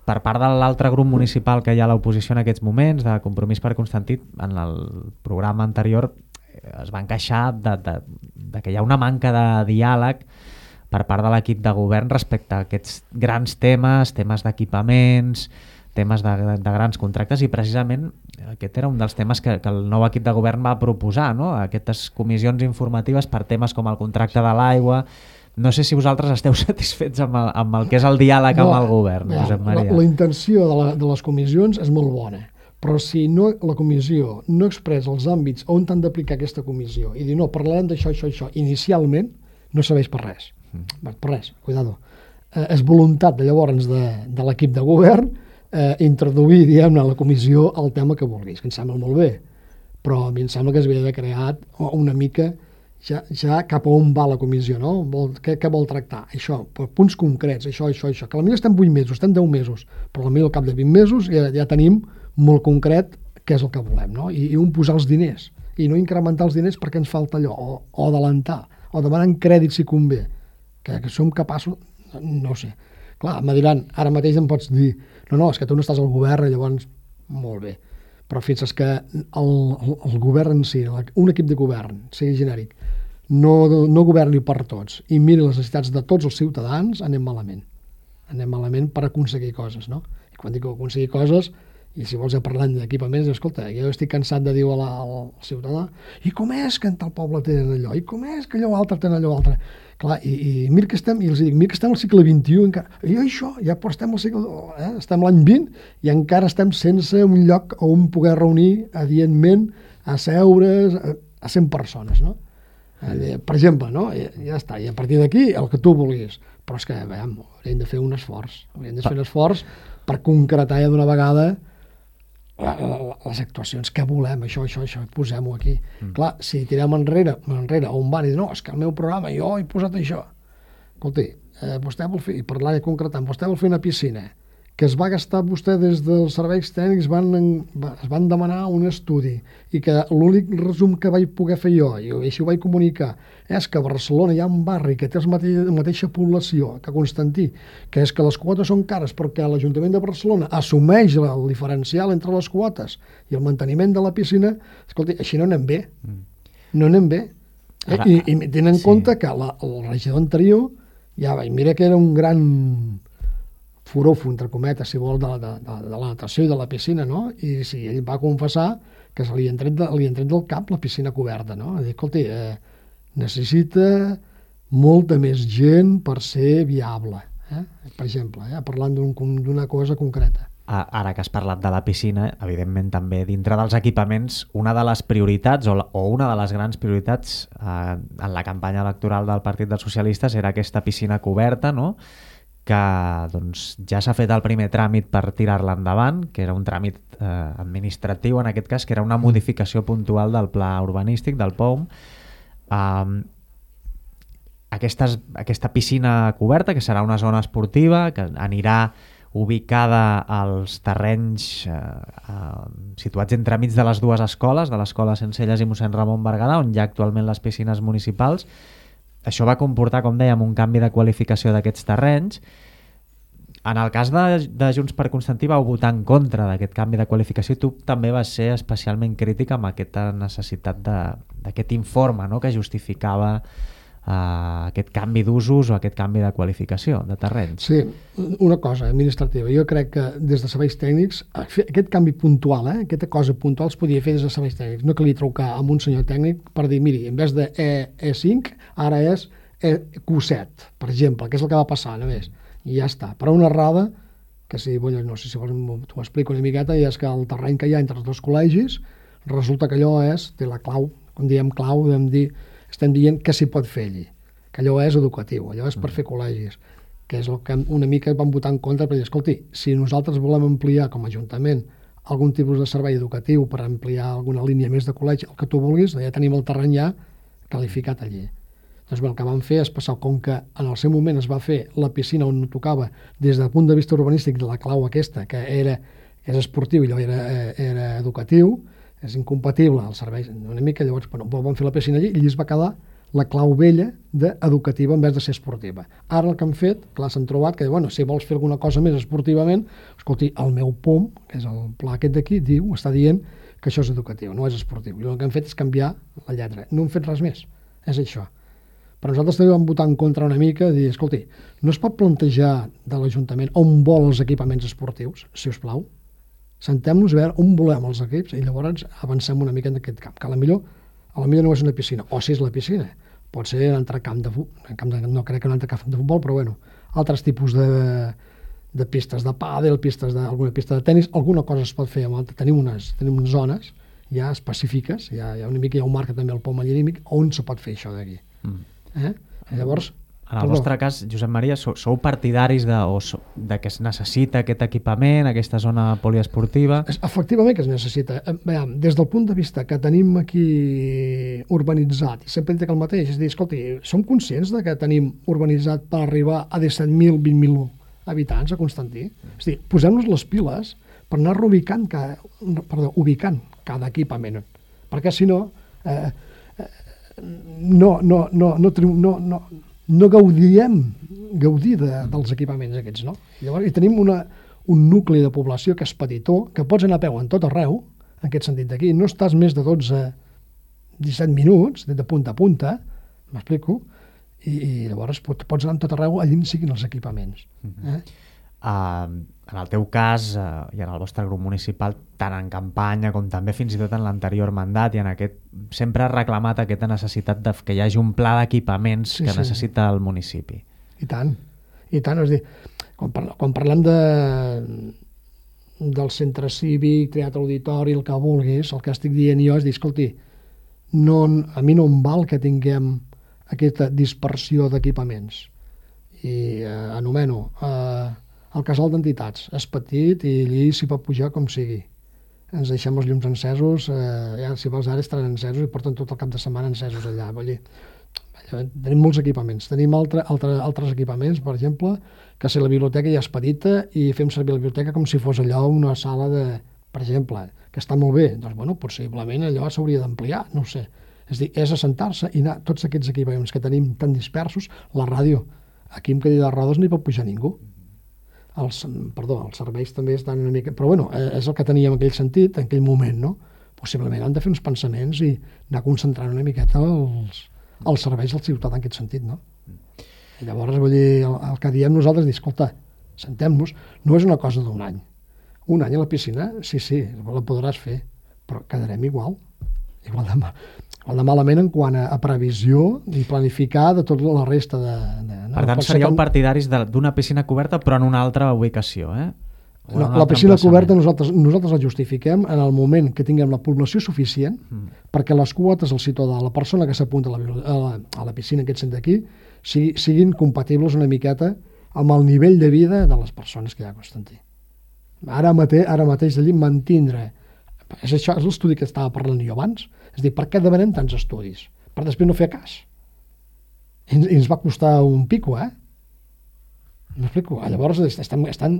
per part de l'altre grup municipal que hi ha a l'oposició en aquests moments, de Compromís per Constantí, en el programa anterior es van queixar de, de, de que hi ha una manca de diàleg per part de l'equip de govern respecte a aquests grans temes, temes d'equipaments, temes de, de, de grans contractes, i precisament aquest era un dels temes que, que el nou equip de govern va proposar, no?, aquestes comissions informatives per temes com el contracte de l'aigua. No sé si vosaltres esteu satisfets amb el, amb el que és el diàleg no, amb el govern, ja, Josep Maria. La, la intenció de, la, de les comissions és molt bona, però si no, la comissió no expressa els àmbits on han d'aplicar aquesta comissió i dir, no, parlarem d'això, això, això, inicialment, no serveix per res. Mm. Per res, cuidado. Eh, és voluntat de llavors de, de l'equip de govern eh, introduir, diguem-ne, a la comissió el tema que vulguis, que em sembla molt bé, però a mi em sembla que s'havia de crear una mica ja, ja cap a on va la comissió, no? Vol, què, què vol tractar? Això, per punts concrets, això, això, això, que potser estem vuit mesos, estem deu mesos, però potser al cap de vint mesos ja, ja tenim molt concret què és el que volem, no? I, i on posar els diners, i no incrementar els diners perquè ens falta allò, o, o adelantar, o demanar crèdit si convé, que, que som capaços, no sé. Clar, me diran, ara mateix em pots dir, no, no, és que tu no estàs al govern, i llavors, molt bé. Però fixa't que el, el, el govern en si, un equip de govern, sigui genèric, no, no governi per tots i miri les necessitats de tots els ciutadans, anem malament. Anem malament per aconseguir coses, no? I quan dic aconseguir coses, i si vols ja parlant d'equipaments, escolta, jo estic cansat de dir a la, al ciutadà, i com és que en tal poble tenen allò, i com és que allò altre tenen allò altre. Clar, i, i mira que estem, i els dic, mira que estem al segle vint-i-u encara, i això, ja estem al segle, eh? Estem l'any vint i encara estem sense un lloc on poder reunir adientment a seure's a, a cent persones, no? Eh, per exemple, no? I, ja està, i a partir d'aquí el que tu vulguis, però és que, veiem, hauríem de fer un esforç, hauríem de fer un esforç per concretar ja d'una vegada La, la, les actuacions que volem, això, això, això, posem-ho aquí. Mm. Clar, si tirem enrere, enrere on van i dir, no, és que el meu programa, jo he posat això. Escolti, eh, vostè vol fer, i parlant i concretant, vostè vol fer una piscina, que es va gastar vostè des dels serveis tècnics, van, es van demanar un estudi, i que l'únic resum que vaig poder fer jo, i així ho vaig comunicar, és que a Barcelona hi ha un barri que té la mateixa, mateixa població que Constantí, que és que les quotes són cares perquè l'Ajuntament de Barcelona assumeix el diferencial entre les quotes i el manteniment de la piscina. Escolti, així no anem bé. No anem bé. Eh? I, I tenen en sí. compte que la, el regidor anterior, ja va, mira que era un gran forofo, entre cometes, si vol, de, de, de, de la natació i de la piscina, no? I sí, ell va confessar que se li han tret, de, li han tret del cap la piscina coberta, no? Dir, escolti, eh, necessita molta més gent per ser viable, eh? Per exemple, eh? Parlant d'una cosa concreta. Ara que has parlat de la piscina, evidentment també dintre dels equipaments, una de les prioritats o, la, o una de les grans prioritats eh, en la campanya electoral del Partit dels Socialistes era aquesta piscina coberta, no?, que doncs, ja s'ha fet el primer tràmit per tirar-la endavant, que era un tràmit eh, administratiu en aquest cas, que era una modificació puntual del pla urbanístic, del P O M. Um, aquesta, aquesta piscina coberta, que serà una zona esportiva, que anirà ubicada als terrenys eh, eh, situats entremig de les dues escoles, de l'escola Sencelles i mossèn Ramon Berguedà, on hi ha actualment les piscines municipals. Això va comportar, com dèiem, un canvi de qualificació d'aquests terrenys. En el cas de, de Junts per Constantí vau votar en contra d'aquest canvi de qualificació i tu també vas ser especialment crític amb aquesta necessitat d'aquest informe, no?, que justificava uh, aquest canvi d'usos o aquest canvi de qualificació de terrenys. Sí, una cosa administrativa. Jo crec que des de serveis tècnics, aquest canvi puntual, eh, aquesta cosa puntual es podia fer des de serveis tècnics. No calia trucar amb un senyor tècnic per dir, miri, en vez de E cinc, ara és E Q set, per exemple, que és el que va passar només. I ja està. Però una errada, que si, bueno, no sé si vols, t'ho explico una miqueta, i és que el terreny que hi ha entre els dos col·legis, resulta que allò és, té la clau, quan diem clau, vam dir, estem dient què s'hi pot fer allí, que allò és educatiu, allò és per fer col·legis, que és el que una mica vam votar en contra, per dir, escolti, si nosaltres volem ampliar com a Ajuntament algun tipus de servei educatiu per ampliar alguna línia més de col·legi, el que tu vulguis, ja tenim el terreny ja qualificat allí. Doncs bé, el que vam fer és passar, com que en el seu moment es va fer la piscina on tocava des del punt de vista urbanístic de la clau aquesta, que era, és esportiu i allò era, era educatiu, és incompatible el servei, una mica, llavors bueno, vam fer la piscina allí i allí es va quedar la clau vella d'educativa en vez de ser esportiva. Ara el que han fet, clar, s'han trobat que, bueno, si vols fer alguna cosa més esportivament, escolti, el meu P O M, que és el pla aquest d'aquí, diu, està dient que això és educatiu, no és esportiu. I el que han fet és canviar la lletra. No han fet res més, és això. Però nosaltres també vam votar en contra una mica, dir, escolti, no es pot plantejar de l'Ajuntament on vol els equipaments esportius, si us plau. Sentem-nos a veure on volem els equips i llavors avancem una mica en aquest camp, que a la millor, a la millor no és una piscina, o si és la piscina, pot ser un altre camp de futbol, no crec que un altre camp de futbol, però bueno, altres tipus de, de pistes de pàdel, pistes de, alguna pista de tennis, alguna cosa es pot fer amb altre. Tenim unes, tenim unes zones ja específiques, ja, ja una mica hi ha un marc també el P O M allí on se pot fer això d'aquí. Mm. Eh? Llavors, En el Perdó. vostre cas, Josep Maria, sou, sou partidaris de, o so, de que es necessita aquest equipament, aquesta zona poliesportiva? Efectivament que es necessita. Veiem, des del punt de vista que tenim aquí urbanitzat, i sempre dic el mateix, és a dir, escolti, som conscients de que tenim urbanitzat per arribar a disset mil, vint mil habitants a Constantí? És a dir, posem-nos les piles per anar ubicant cada, perdó, ubicant cada equipament, perquè si no, eh, no, no, no, no, no, no no gaudiem gaudir de, dels equipaments aquests, no? Llavors, i tenim una, un nucli de població que és petitó, que pots anar a peu en tot arreu, en aquest sentit d'aquí, no estàs més de dotze a disset minuts, de punta a punta, m'explico, i, i llavors pots anar en tot arreu allà on siguin els equipaments. Eh? Uh, en el teu cas uh, i en el vostre grup municipal, tant en campanya com també fins i tot en l'anterior mandat i en aquest, sempre ha reclamat aquesta necessitat de que hi hagi un pla d'equipaments sí, que sí. necessita el municipi. I tant, i tant, és dir, quan, parla, quan parlem de, del centre cívic, teatre auditori, el que vulguis, el que estic dient jo és dir, escolti, no, a mi no em val que tinguem aquesta dispersió d'equipaments. I eh, anomeno eh, el casal d'entitats és petit i allí s'hi pot pujar com sigui. Ens deixem els llums encesos, eh, ja, si vols ara estaran encesos i porten tot el cap de setmana encesos allà. Vull dir, tenim molts equipaments. Tenim altre, altre, altres equipaments, per exemple, que si la biblioteca ja és petita i fem servir la biblioteca com si fos allò una sala de, per exemple, que està molt bé. Doncs, bueno, possiblement allò s'hauria d'ampliar, no ho sé. És a dir, és assentar-se i anar tots aquests equipaments que tenim tan dispersos, la ràdio, aquí amb cadira de rodes no hi pot pujar ningú. Els, perdó, els serveis també estan una mica... Però bueno, és el que teníem en aquell sentit, en aquell moment, no? Possiblement han de fer uns pensaments i anar concentrant una miqueta els, els serveis al ciutat en aquest sentit, no? I llavors, vull dir, el, el que diem nosaltres és dir, escolta, sentem-nos, no és una cosa d'un any. Un any a la piscina, sí, sí, la podràs fer, però quedarem igual. Igual de, igual de malament en quant a, a previsió i planificar de tota la resta de... de no? Per tant, seríeu que... partidaris d'una piscina coberta però en una altra ubicació, eh? No, la piscina coberta nosaltres, nosaltres la justifiquem en el moment que tinguem la població suficient mm. perquè les quotes al ciutadà, la persona que s'apunta a, a, la, a la piscina que et sent aquí, sigui, siguin compatibles una miqueta amb el nivell de vida de les persones que hi ha a Constantí. Ara, mate, ara mateix allí mantindre... És això, és l'estudi que estava parlant jo abans. És a dir, per què demanem tants estudis? Per després no fer cas. I ens, i ens va costar un pico, eh? M'explico? Llavors estem... estan...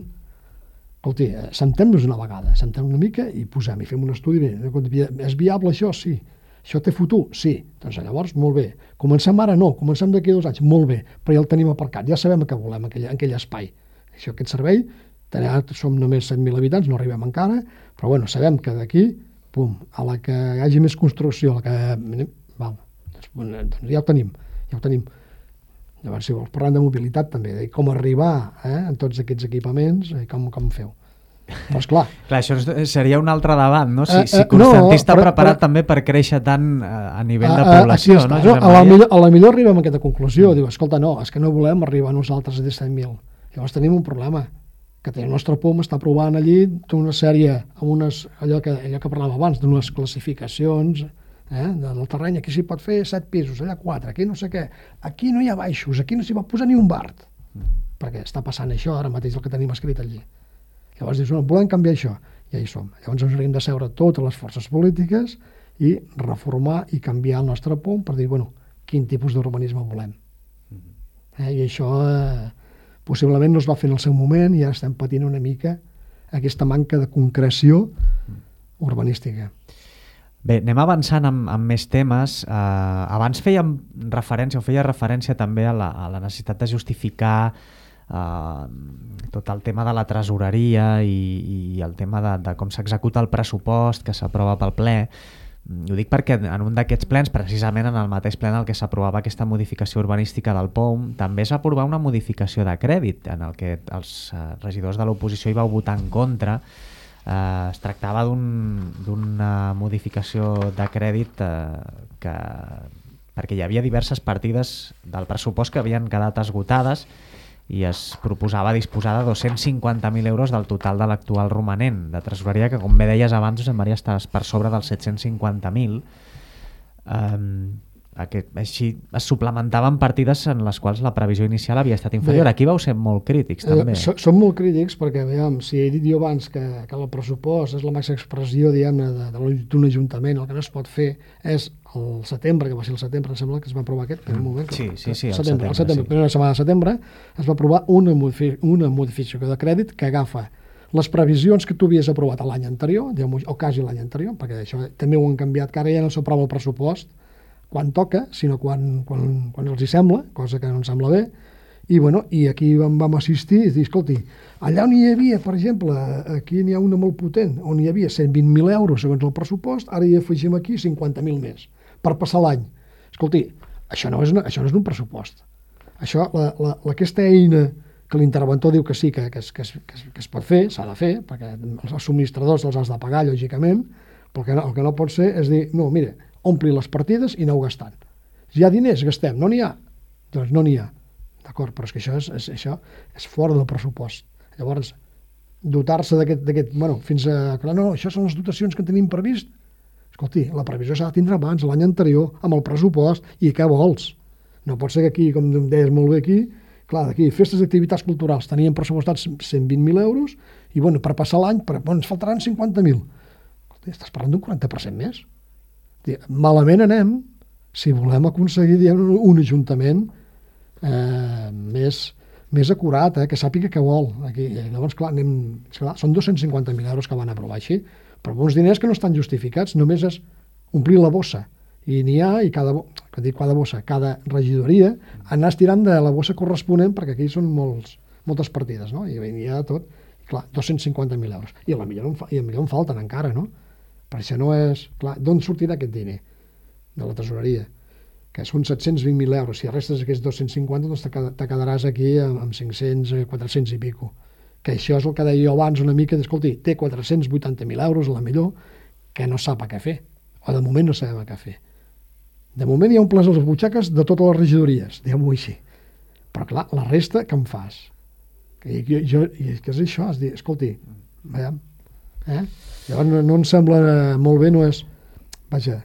Escolti, sentem-nos una vegada, sentem una mica i posem, i fem un estudi. Bé, és viable això? Sí. Això té futur? Sí. Doncs llavors, molt bé. Comencem ara? No. Comencem d'aquí a dos anys? Molt bé. Però ja el tenim aparcat. Ja sabem què volem en aquell, en aquell espai. Això, aquest servei, som només set mil habitants, no arribem encara, però bueno, sabem que d'aquí, pum, a la que hi hagi més construcció, a la que... Val, doncs, doncs ja ho tenim, ja ho tenim. Llavors, si vols, parlant de mobilitat també, de com arribar eh, en tots aquests equipaments i com, com feu. Però esclar... Clar, això seria un altre debat, no? Si, eh, si Constantí no, està però, preparat però, també per créixer tant a nivell de població, a, a, no? no a, la millor, a la millor arribem a aquesta conclusió, mm. diu, escolta, no, és que no volem arribar nosaltres a disset mil. Llavors tenim un problema, que el nostre P O M està provant allí una sèrie, amb unes, allò, que, allò que parlàvem abans, d'unes classificacions eh, del terreny. Aquí s'hi pot fer set pisos, allà quatre, aquí no sé què. Aquí no hi ha baixos, aquí no s'hi pot posar ni un bart. Mm. Perquè està passant això ara mateix el que tenim escrit allí. Llavors dius, no, volem canviar això. I ja hi som. Llavors ens hauríem de seure totes les forces polítiques i reformar i canviar el nostre P O M per dir, bueno, quin tipus d'urbanisme volem. Mm. Eh, I això... Eh, possiblement no es va fer en el seu moment i ara estem patint una mica aquesta manca de concreció urbanística. Bé, anem avançant amb, amb més temes. Uh, abans fèiem referència, o feia referència també a la, a la necessitat de justificar uh, tot el tema de la tresoreria i, i el tema de, de com s'executa el pressupost que s'aprova pel ple. Ho dic perquè en un d'aquests plens, precisament en el mateix ple en el que s'aprovava aquesta modificació urbanística del P O M, també es va aprovar una modificació de crèdit en el que els regidors de l'oposició hi vau votar en contra. Eh, es tractava d'una un, modificació de crèdit eh, que, perquè hi havia diverses partides del pressupost que havien quedat esgotades i es proposava disposar de dos-cents cinquanta mil euros del total de l'actual romanent de tresoreria, que com bé deies abans, Josep Maria, estàs per sobre dels set-cents cinquanta mil. Um, aquest, així es suplementaven partides en les quals la previsió inicial havia estat inferior. Bé, aquí vau ser molt crítics, també. Eh, som molt crítics perquè, veiem, si he dit jo abans que, que el pressupost és la màxima expressió, diguem-ne, d'un ajuntament, el que no es pot fer és el setembre, que va ser el setembre, em sembla que es va aprovar aquest, en un moment. Sí, sí, sí, el setembre, el setembre, sí. primera setmana de setembre, es va aprovar una, modifi una modificació de crèdit que agafa les previsions que tu havies aprovat l'any anterior, o quasi l'any anterior, perquè això també ho han canviat, que ara ja no s'aprova el pressupost quan toca, sinó quan, quan, quan els hi sembla, cosa que no ens sembla bé, i, bueno, i aquí vam, vam assistir i dir, escolti, allà on hi havia, per exemple, aquí n'hi ha una molt potent, on hi havia cent vint mil euros segons el pressupost, ara hi afegim aquí cinquanta mil més, per passar l'any. Escolti, això no és, una, això no és un pressupost. Això, la, la, aquesta eina que l'interventor diu que sí, que, que, es, que, es, que, es, que es pot fer, s'ha de fer, perquè els subministradors els has de pagar, lògicament, però el que no, el que no pot ser és dir, no, mira, ompli les partides i aneu gastant. Si hi ha diners, gastem. No n'hi ha? Doncs no n'hi ha. D'acord, però és que això és, és, això és fora del pressupost. Llavors, dotar-se d'aquest, bueno, fins a... Clar, no, això són les dotacions que tenim previst. Escolti, la previsió s'ha de tindre abans, l'any anterior, amb el pressupost, i què vols? No pot ser que aquí, com deies molt bé aquí, clar, d'aquí, festes d'activitats culturals, teníem pressupostats cent vint mil euros, i bueno, per passar l'any, bueno, ens faltaran cinquanta mil. Estàs parlant d'un quaranta per cent més. Malament anem si volem aconseguir, diguem, un ajuntament eh, més, més acurat, eh, que sàpiga què vol. Aquí, llavors, clar, anem, clar, són dos-cents cinquanta mil euros que van aprovar així, però uns diners que no estan justificats, només és omplir la bossa. I n'hi ha, i cada, que dic, cada bossa, cada regidoria, anar estirant de la bossa corresponent, perquè aquí són molts, moltes partides, no? I n'hi ha tot, i clar, dos-cents cinquanta mil euros. I a la millor, i a millor en falten encara, no? Per això no és... Clar, d'on sortirà aquest diner? De la tesoreria. Que són set-cents vint mil euros. Si restes aquests dos-cents cinquanta, doncs te quedaràs aquí amb, amb cinc-cents, quatre-cents i pico. Que això és el que deia jo abans una mica, d'escolti, té quatre-cents vuitanta mil euros, a la millor, que no sap a què fer. O de moment no sabem a què fer. De moment hi ha un ples a les butxaques de totes les regidories, diguem-ho així. Però clar, la resta, què em fas? I, jo, jo, i és que és això, és dir, escolti, veiem, eh? Llavors no, no em sembla molt bé, no és, vaja,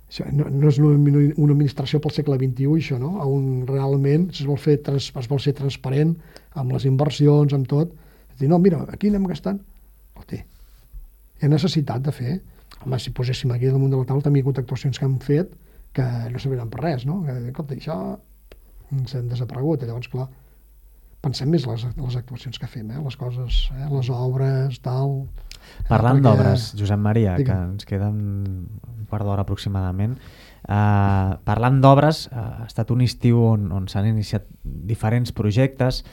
això no, no és una, una administració pel segle vint-i-u, això, no? On realment es vol, fer trans, es vol ser transparent amb les inversions, amb tot. És dir, no, mira, aquí anem gastant. Escolti, hi ha necessitat de fer. Home, si poséssim aquí damunt de la taula, també hi ha hagut actuacions que han fet que no serviran per res, no? Que, escolta, això ens hem desaparegut. Llavors, clar, pensem més les, les actuacions que fem, eh? Les coses, eh? Les obres, tal... Parlant perquè... d'obres, Josep Maria, Digue'm. que ens queden un quart d'hora aproximadament, uh, parlant d'obres, uh, ha estat un estiu on, on s'han iniciat diferents projectes,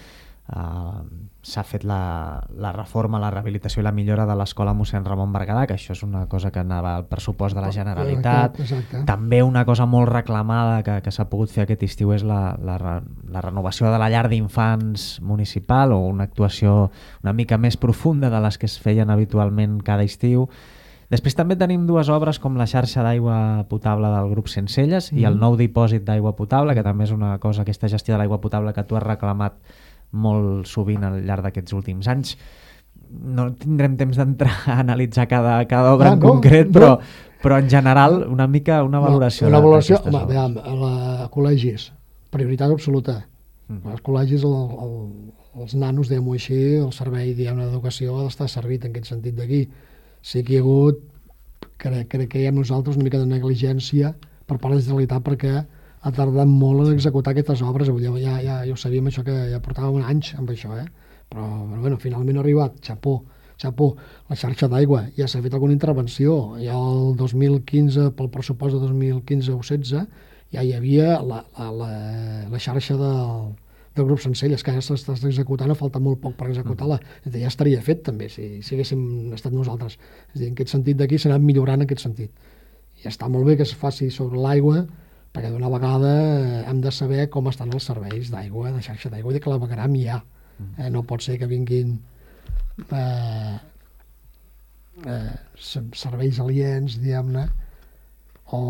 uh, s'ha fet la, la reforma, la rehabilitació i la millora de l'escola mossèn Ramon Berguedà, que això és una cosa que anava al pressupost de la Generalitat. Exacte. També una cosa molt reclamada que, que s'ha pogut fer aquest estiu és la, la, la renovació de la llar d'infants municipal, o una actuació una mica més profunda de les que es feien habitualment cada estiu. Després també tenim dues obres com la xarxa d'aigua potable del grup Sencelles mm. i el nou dipòsit d'aigua potable, que també és una cosa, aquesta gestió de l'aigua potable que tu has reclamat molt sovint al llarg d'aquests últims anys. No tindrem temps d'entrar a analitzar cada, cada obra ah, en no, concret, però, no. però en general una mica una valoració. No, una valoració, home, veiem, a la a col·legis, prioritat absoluta. Mm. Els col·legis, el, el, els nanos, diguem-ho així, el servei d'educació ha d'estar servit en aquest sentit d'aquí. Sí que hi ha hagut, crec, crec que hi ha nosaltres una mica de negligència per part de la Generalitat, perquè ha tardat molt en executar aquestes obres. Ja, ja, ja, ja ho sabíem, això, que ja portàvem anys amb això, eh? Però bueno, finalment ha arribat, xapó, xapó, la xarxa d'aigua. Ja s'ha fet alguna intervenció. Ja el dos mil quinze, pel pressupost de dos mil quinze o setze, ja hi havia la, la, la, la xarxa del, del grup Sencelles, que ja s'està executant, falta molt poc per executar-la. Ja estaria fet també, si, si haguéssim estat nosaltres. És a dir, en aquest sentit d'aquí s'ha anat millorant en aquest sentit. I està molt bé que es faci sobre l'aigua, perquè d'una vegada hem de saber com estan els serveis d'aigua, de xarxa d'aigua, i de clavegueram hi ha. Eh, no pot ser que vinguin eh, eh, serveis aliens, diguem-ne, o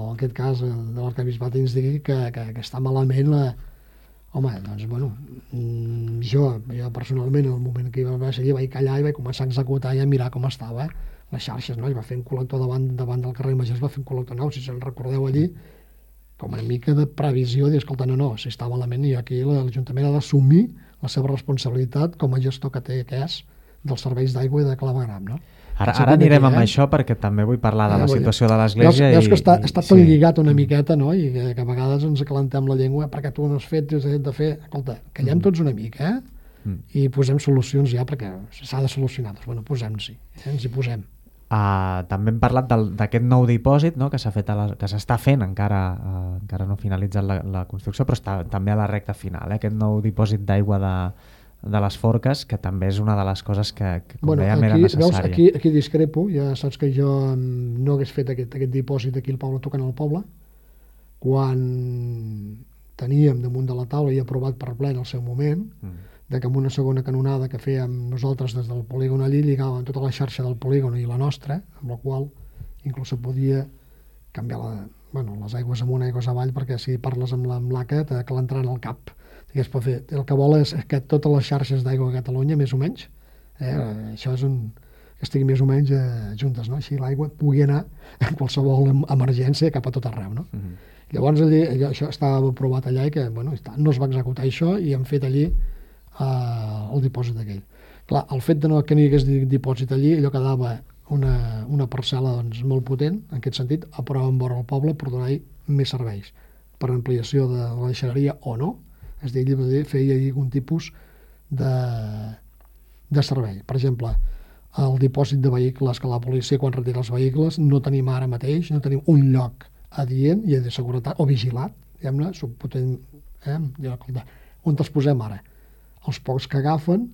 en aquest cas de l'arquebisbat ens digui que, que, que està malament la... Home, doncs, bueno, jo, jo personalment, en el moment que hi va seguir, vaig callar i vaig començar a executar i a mirar com estava, les xarxes, no? Es va fer un col·lector davant, davant del carrer Major, es va fer un col·lector nou, si se'n recordeu allí, com una mica de previsió, dir, escolta, no, no, si està malament, i aquí l'Ajuntament ha d'assumir la seva responsabilitat com a gestor que té, que és dels serveis d'aigua i de clavegram, no? Ara, ara anirem amb eh? això, perquè també vull parlar de la situació de l'Església. Veus, veus que està, està tot sí. lligat una miqueta, no? I que, que a vegades ens acalentem la llengua perquè tu no has fet, has de fer... Escolta, callem tots una mica, eh? Mm. I posem solucions ja, perquè s'ha de solucionar. Doncs, bueno, posem-s'hi, eh? Ens hi posem. Uh, també hem parlat d'aquest nou dipòsit, no? que s'ha fet a la, que s'està fent, encara, uh, encara no ha finalitzat la, la construcció, però està també a la recta final, eh? Aquest nou dipòsit d'aigua de... de les Forques, que també és una de les coses que, que com bueno, dèiem, aquí, era necessària. Veus, aquí, aquí discrepo, ja saps que jo no hagués fet aquest, aquest dipòsit aquí al poble, tocant al poble, quan teníem damunt de la taula i aprovat per ple en el seu moment, mm. de que amb una segona canonada que fèiem nosaltres des del polígon allí, lligàvem tota la xarxa del polígon i la nostra, amb la qual inclús se podia canviar la, bueno, les aigües amunt, aigües avall, perquè si parles amb l'A C A te l'entrarà en el cap. Que es pot fer. El que vol és que totes les xarxes d'aigua a Catalunya, més o menys, eh, això és un, que estigui més o menys eh, juntes, no? Així l'aigua pugui anar en qualsevol emergència cap a tot arreu, no? Mm -hmm. Llavors allí, allò, això estava aprovat allà i que bueno, no es va executar això i hem fet allí eh, el dipòsit aquell. Clar, el fet de no, que no hi hagués dipòsit allí, allò quedava una, una parcel·la doncs, molt potent, en aquest sentit, a prova en vora el poble per donar-hi més serveis, per ampliació de la deixalleria o no. És a dir, feia algun tipus de, de servei. Per exemple, el dipòsit de vehicles, que la policia quan retira els vehicles no tenim ara mateix, no tenim un lloc adient i de seguretat, o vigilat, diguem-ne, subpotent, eh? On els posem ara? Els pocs que agafen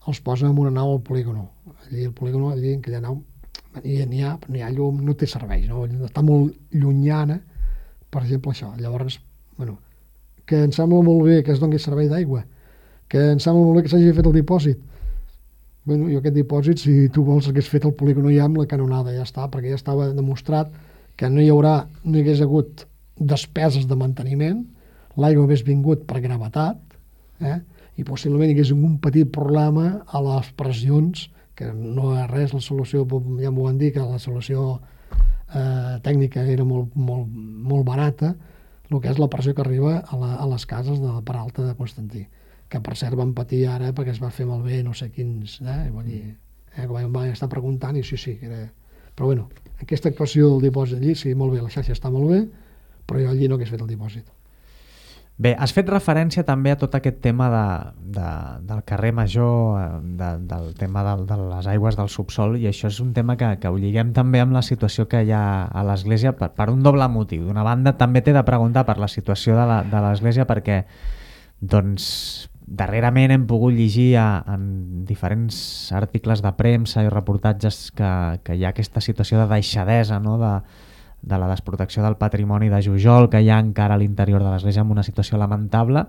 els posen en una nau al polígono. Allí el polígono, allí en aquella nau, n'hi ha, n'hi ha llum, no té serveis, no? Està molt llunyana, per exemple, això. Llavors, bueno, que em sembla molt bé que es doni servei d'aigua, que em sembla molt bé que s'hagi fet el dipòsit. Bueno, jo aquest dipòsit, si tu vols, hagués fet el polígono ja amb la canonada, ja està, perquè ja estava demostrat que no hi haurà, no hi hagués hagut despeses de manteniment, l'aigua hagués vingut per gravetat, eh? I possiblement hi hagués un petit problema a les pressions, que no és res, la solució, ja m'ho van dir, que la solució eh, tècnica era molt, molt, molt barata, el que és la pressió que arriba a, la, a les cases de la Peralta de Constantí, que per cert van patir ara perquè es va fer malbé no sé quins, eh? Vull dir, eh? que vam estar preguntant i sí, sí, que era... Però bueno, aquesta actuació del dipòsit allí, sí, molt bé, la xarxa està molt bé, però jo allí no hagués fet el dipòsit. Bé, has fet referència també a tot aquest tema de, de, del carrer Major, de, del tema de, de les aigües del subsol, i això és un tema que, que ho lliguem també amb la situació que hi ha a l'Església per, per un doble motiu. D'una banda, també t'he de preguntar per la situació de l'Església perquè doncs, darrerament hem pogut llegir a, en diferents articles de premsa i reportatges que, que hi ha aquesta situació de deixadesa, no?, de de la desprotecció del patrimoni de Jujol que hi ha encara a l'interior de l'Església amb una situació lamentable.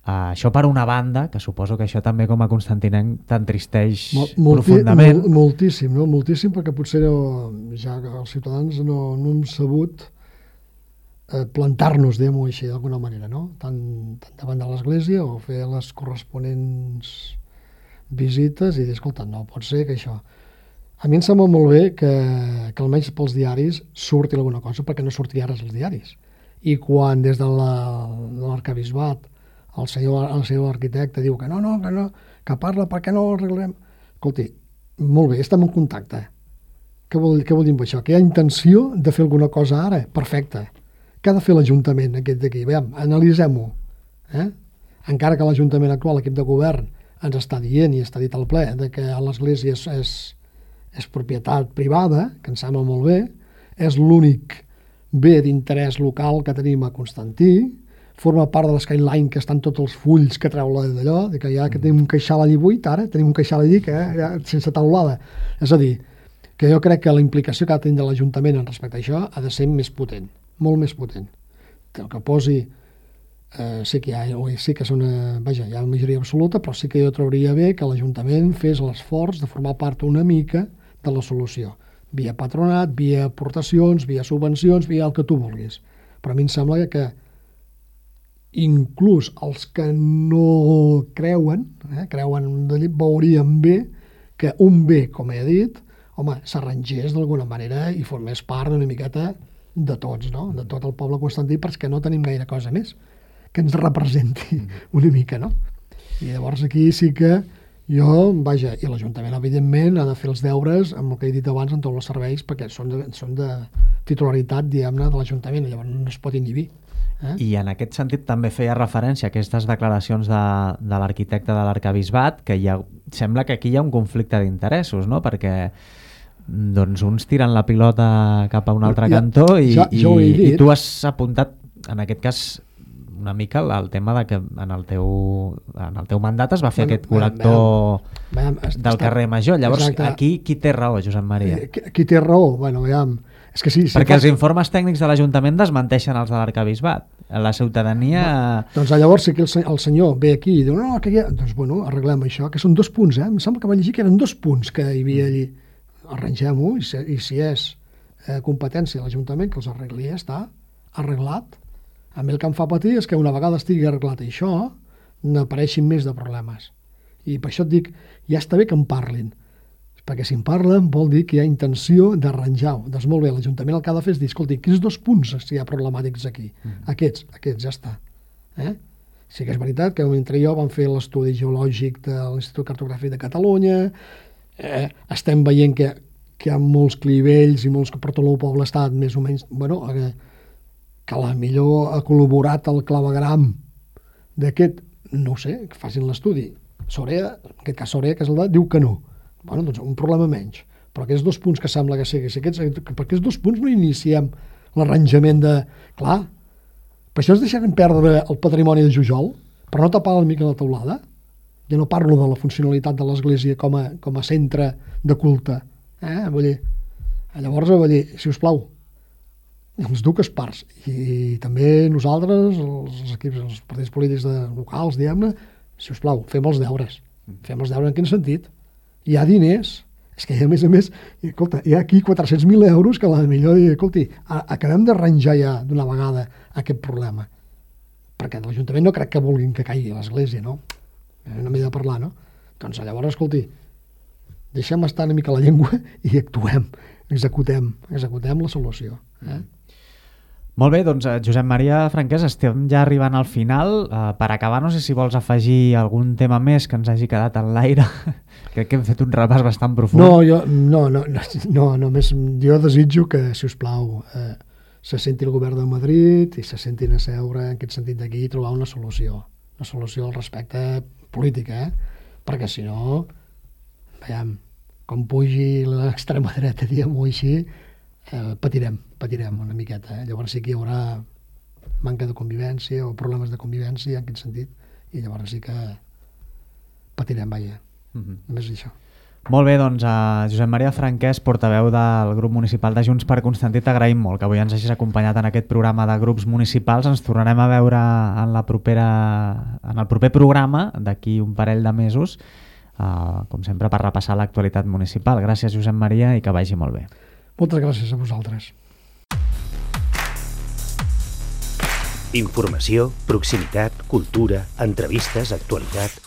Uh, això per una banda, que suposo que això també com a constantinenc t'entristeix Mol, profundament. Mol, moltíssim, no? Moltíssim, perquè potser ja els ciutadans no, no hem sabut eh, plantar-nos, diguem-ho així, d'alguna manera, no? Tant, tant davant de l'Església o fer les corresponents visites i dir, escolta, no pot ser que això... A mi em sembla molt bé que, que almenys pels diaris surti alguna cosa, perquè no sortia res als diaris. I quan des de l'arcabisbat el senyor, el senyor arquitecte diu que no, no, que no, que parla, per què no ho arreglarem? Escolti, molt bé, estem en contacte. Què vol, què vol dir amb això? Que hi ha intenció de fer alguna cosa ara? Perfecte. Què ha de fer l'Ajuntament aquest d'aquí? Veiem, analitzem-ho. Eh? Encara que l'Ajuntament actual, l'equip de govern, ens està dient i està dit al ple de que l'Església és, és és propietat privada, que em sembla molt bé, és l'únic bé d'interès local que tenim a Constantí, forma part de l'Skyline, que estan tots els fulls que treu d'allò, que ja que tenim un queixal allí buit, ara tenim un queixal allí que, ja, sense taulada. És a dir, que jo crec que la implicació que ha de tenir l'Ajuntament en respecte a això ha de ser més potent, molt més potent. El que posi, eh, sí que hi ha, sí que és una, vaja, hi ha una majoria absoluta, però sí que jo trobaria bé que l'Ajuntament fes l'esforç de formar part una mica de la solució, via patronat, via aportacions, via subvencions, via el que tu vulguis. Però a mi em sembla que inclús els que no creuen, eh, creuen veurien bé que un bé, com he dit, home, s'arrangés d'alguna manera i formés part d'una miqueta de tots, no? De tot el poble constantí, perquè no tenim gaire cosa més que ens representi una mica, no? I llavors aquí sí que jo, vaja, i l'Ajuntament, evidentment, ha de fer els deures amb el que he dit abans en tots els serveis, perquè són de, són de titularitat, diguem-ne, de l'Ajuntament, llavors no es pot inhibir. Eh? I en aquest sentit també feia referència a aquestes declaracions de, de l'arquitecte de l'Arquebisbat, que hi ha, sembla que aquí hi ha un conflicte d'interessos, no? Perquè doncs uns tiren la pilota cap a un altre ja, cantó i, ja, i, i tu has apuntat, en aquest cas, una mica el tema de que en el teu, en el teu mandat es va fer bueno, aquest col·lector veiem, veiem, del està, carrer Major. Llavors, exacte. Aquí qui té raó, Josep Maria? Qui, qui té raó? Bueno, veiem, és que sí, sí, perquè els informes tècnics de l'Ajuntament desmenteixen els de l'Arquebisbat. La ciutadania... No, doncs llavors sí que el, el senyor ve aquí i diu, no, que hi ha... Doncs bueno, arreglem això, que són dos punts, eh? Em sembla que va llegir que eren dos punts que hi havia allí. Arrangem-ho i, si, i si és eh, competència de l'Ajuntament que els arregli, ja està arreglat. A mi el que em fa patir és que una vegada estigui arreglat això, n'apareixin més de problemes. I per això et dic, ja està bé que en parlin, perquè si en parlen vol dir que hi ha intenció d'arranjar-ho. Doncs molt bé, l'Ajuntament el que ha de fer és dir, escolti, quins dos punts hi ha problemàtics aquí? Mm. Aquests, aquests, ja està. Eh? Sí que és veritat que mentre jo vam fer l'estudi geològic de l'Institut Cartogràfic de Catalunya, eh, estem veient que, que hi ha molts clivells i molts que per tot el poble estat més o menys... Bueno, eh, que a la millor ha col·laborat el clavegram d'aquest, no ho sé, que facin l'estudi. Sorea, en aquest cas Sorea, que és el de, diu que no. Bueno, doncs un problema menys. Però aquests dos punts que sembla que sigui, si aquests, per aquests dos punts no iniciem l'arranjament de... Clar, per això es deixarem perdre el patrimoni de Jujol, per no tapar la mica la teulada. Ja no parlo de la funcionalitat de l'Església com a, com a centre de culte. Eh? Vull dir, llavors, vull dir, si us plau, les dues parts, i també nosaltres, els equips, els partits polítics de locals, diguem-ne, si us plau, fem els deures. Fem els deures en quin sentit? Hi ha diners, és que a més a més, escolta, hi ha aquí quatre-cents mil euros que a la millor, escolti, acabem d'arranjar ja d'una vegada aquest problema. Perquè l'Ajuntament no crec que vulguin que caigui l'Església, no? No m'he de parlar, no? Doncs llavors, escolti, deixem estar una mica la llengua i actuem, executem, executem la solució. Eh? Molt bé, doncs Josep Maria Franquès, estem ja arribant al final. Uh, per acabar, no sé si vols afegir algun tema més que ens hagi quedat en l'aire. Crec que hem fet un repàs bastant profund. No, jo, no, no, no, no només jo desitjo que, si us plau, eh, se senti el govern de Madrid i se sentin a seure en aquest sentit d'aquí i trobar una solució. Una solució al respecte polític, eh? Perquè si no, veiem, com pugi l'extrema dreta, diguem-ho així, eh, patirem, patirem una miqueta. Eh? Llavors sí que hi haurà manca de convivència o problemes de convivència en aquest sentit, i llavors sí que patirem, vaja. Mm-hmm. Només això. Molt bé, doncs a Josep Maria Franquès, portaveu del grup municipal de Junts per Constantí, t'agraïm molt que avui ens hagis acompanyat en aquest programa de grups municipals. Ens tornarem a veure en, la propera, en el proper programa d'aquí un parell de mesos, uh, com sempre, per repassar l'actualitat municipal. Gràcies, Josep Maria, i que vagi molt bé. Moltes gràcies a vosaltres. Informació, proximitat, cultura, entrevistes, actualitat...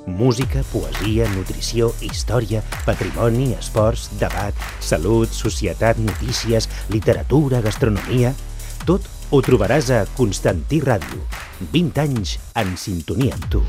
Música, poesia, nutrició, història, patrimoni, esports, debat, salut, societat, notícies, literatura, gastronomia... Tot ho trobaràs a Constantí Ràdio. vint anys en sintonia amb tu.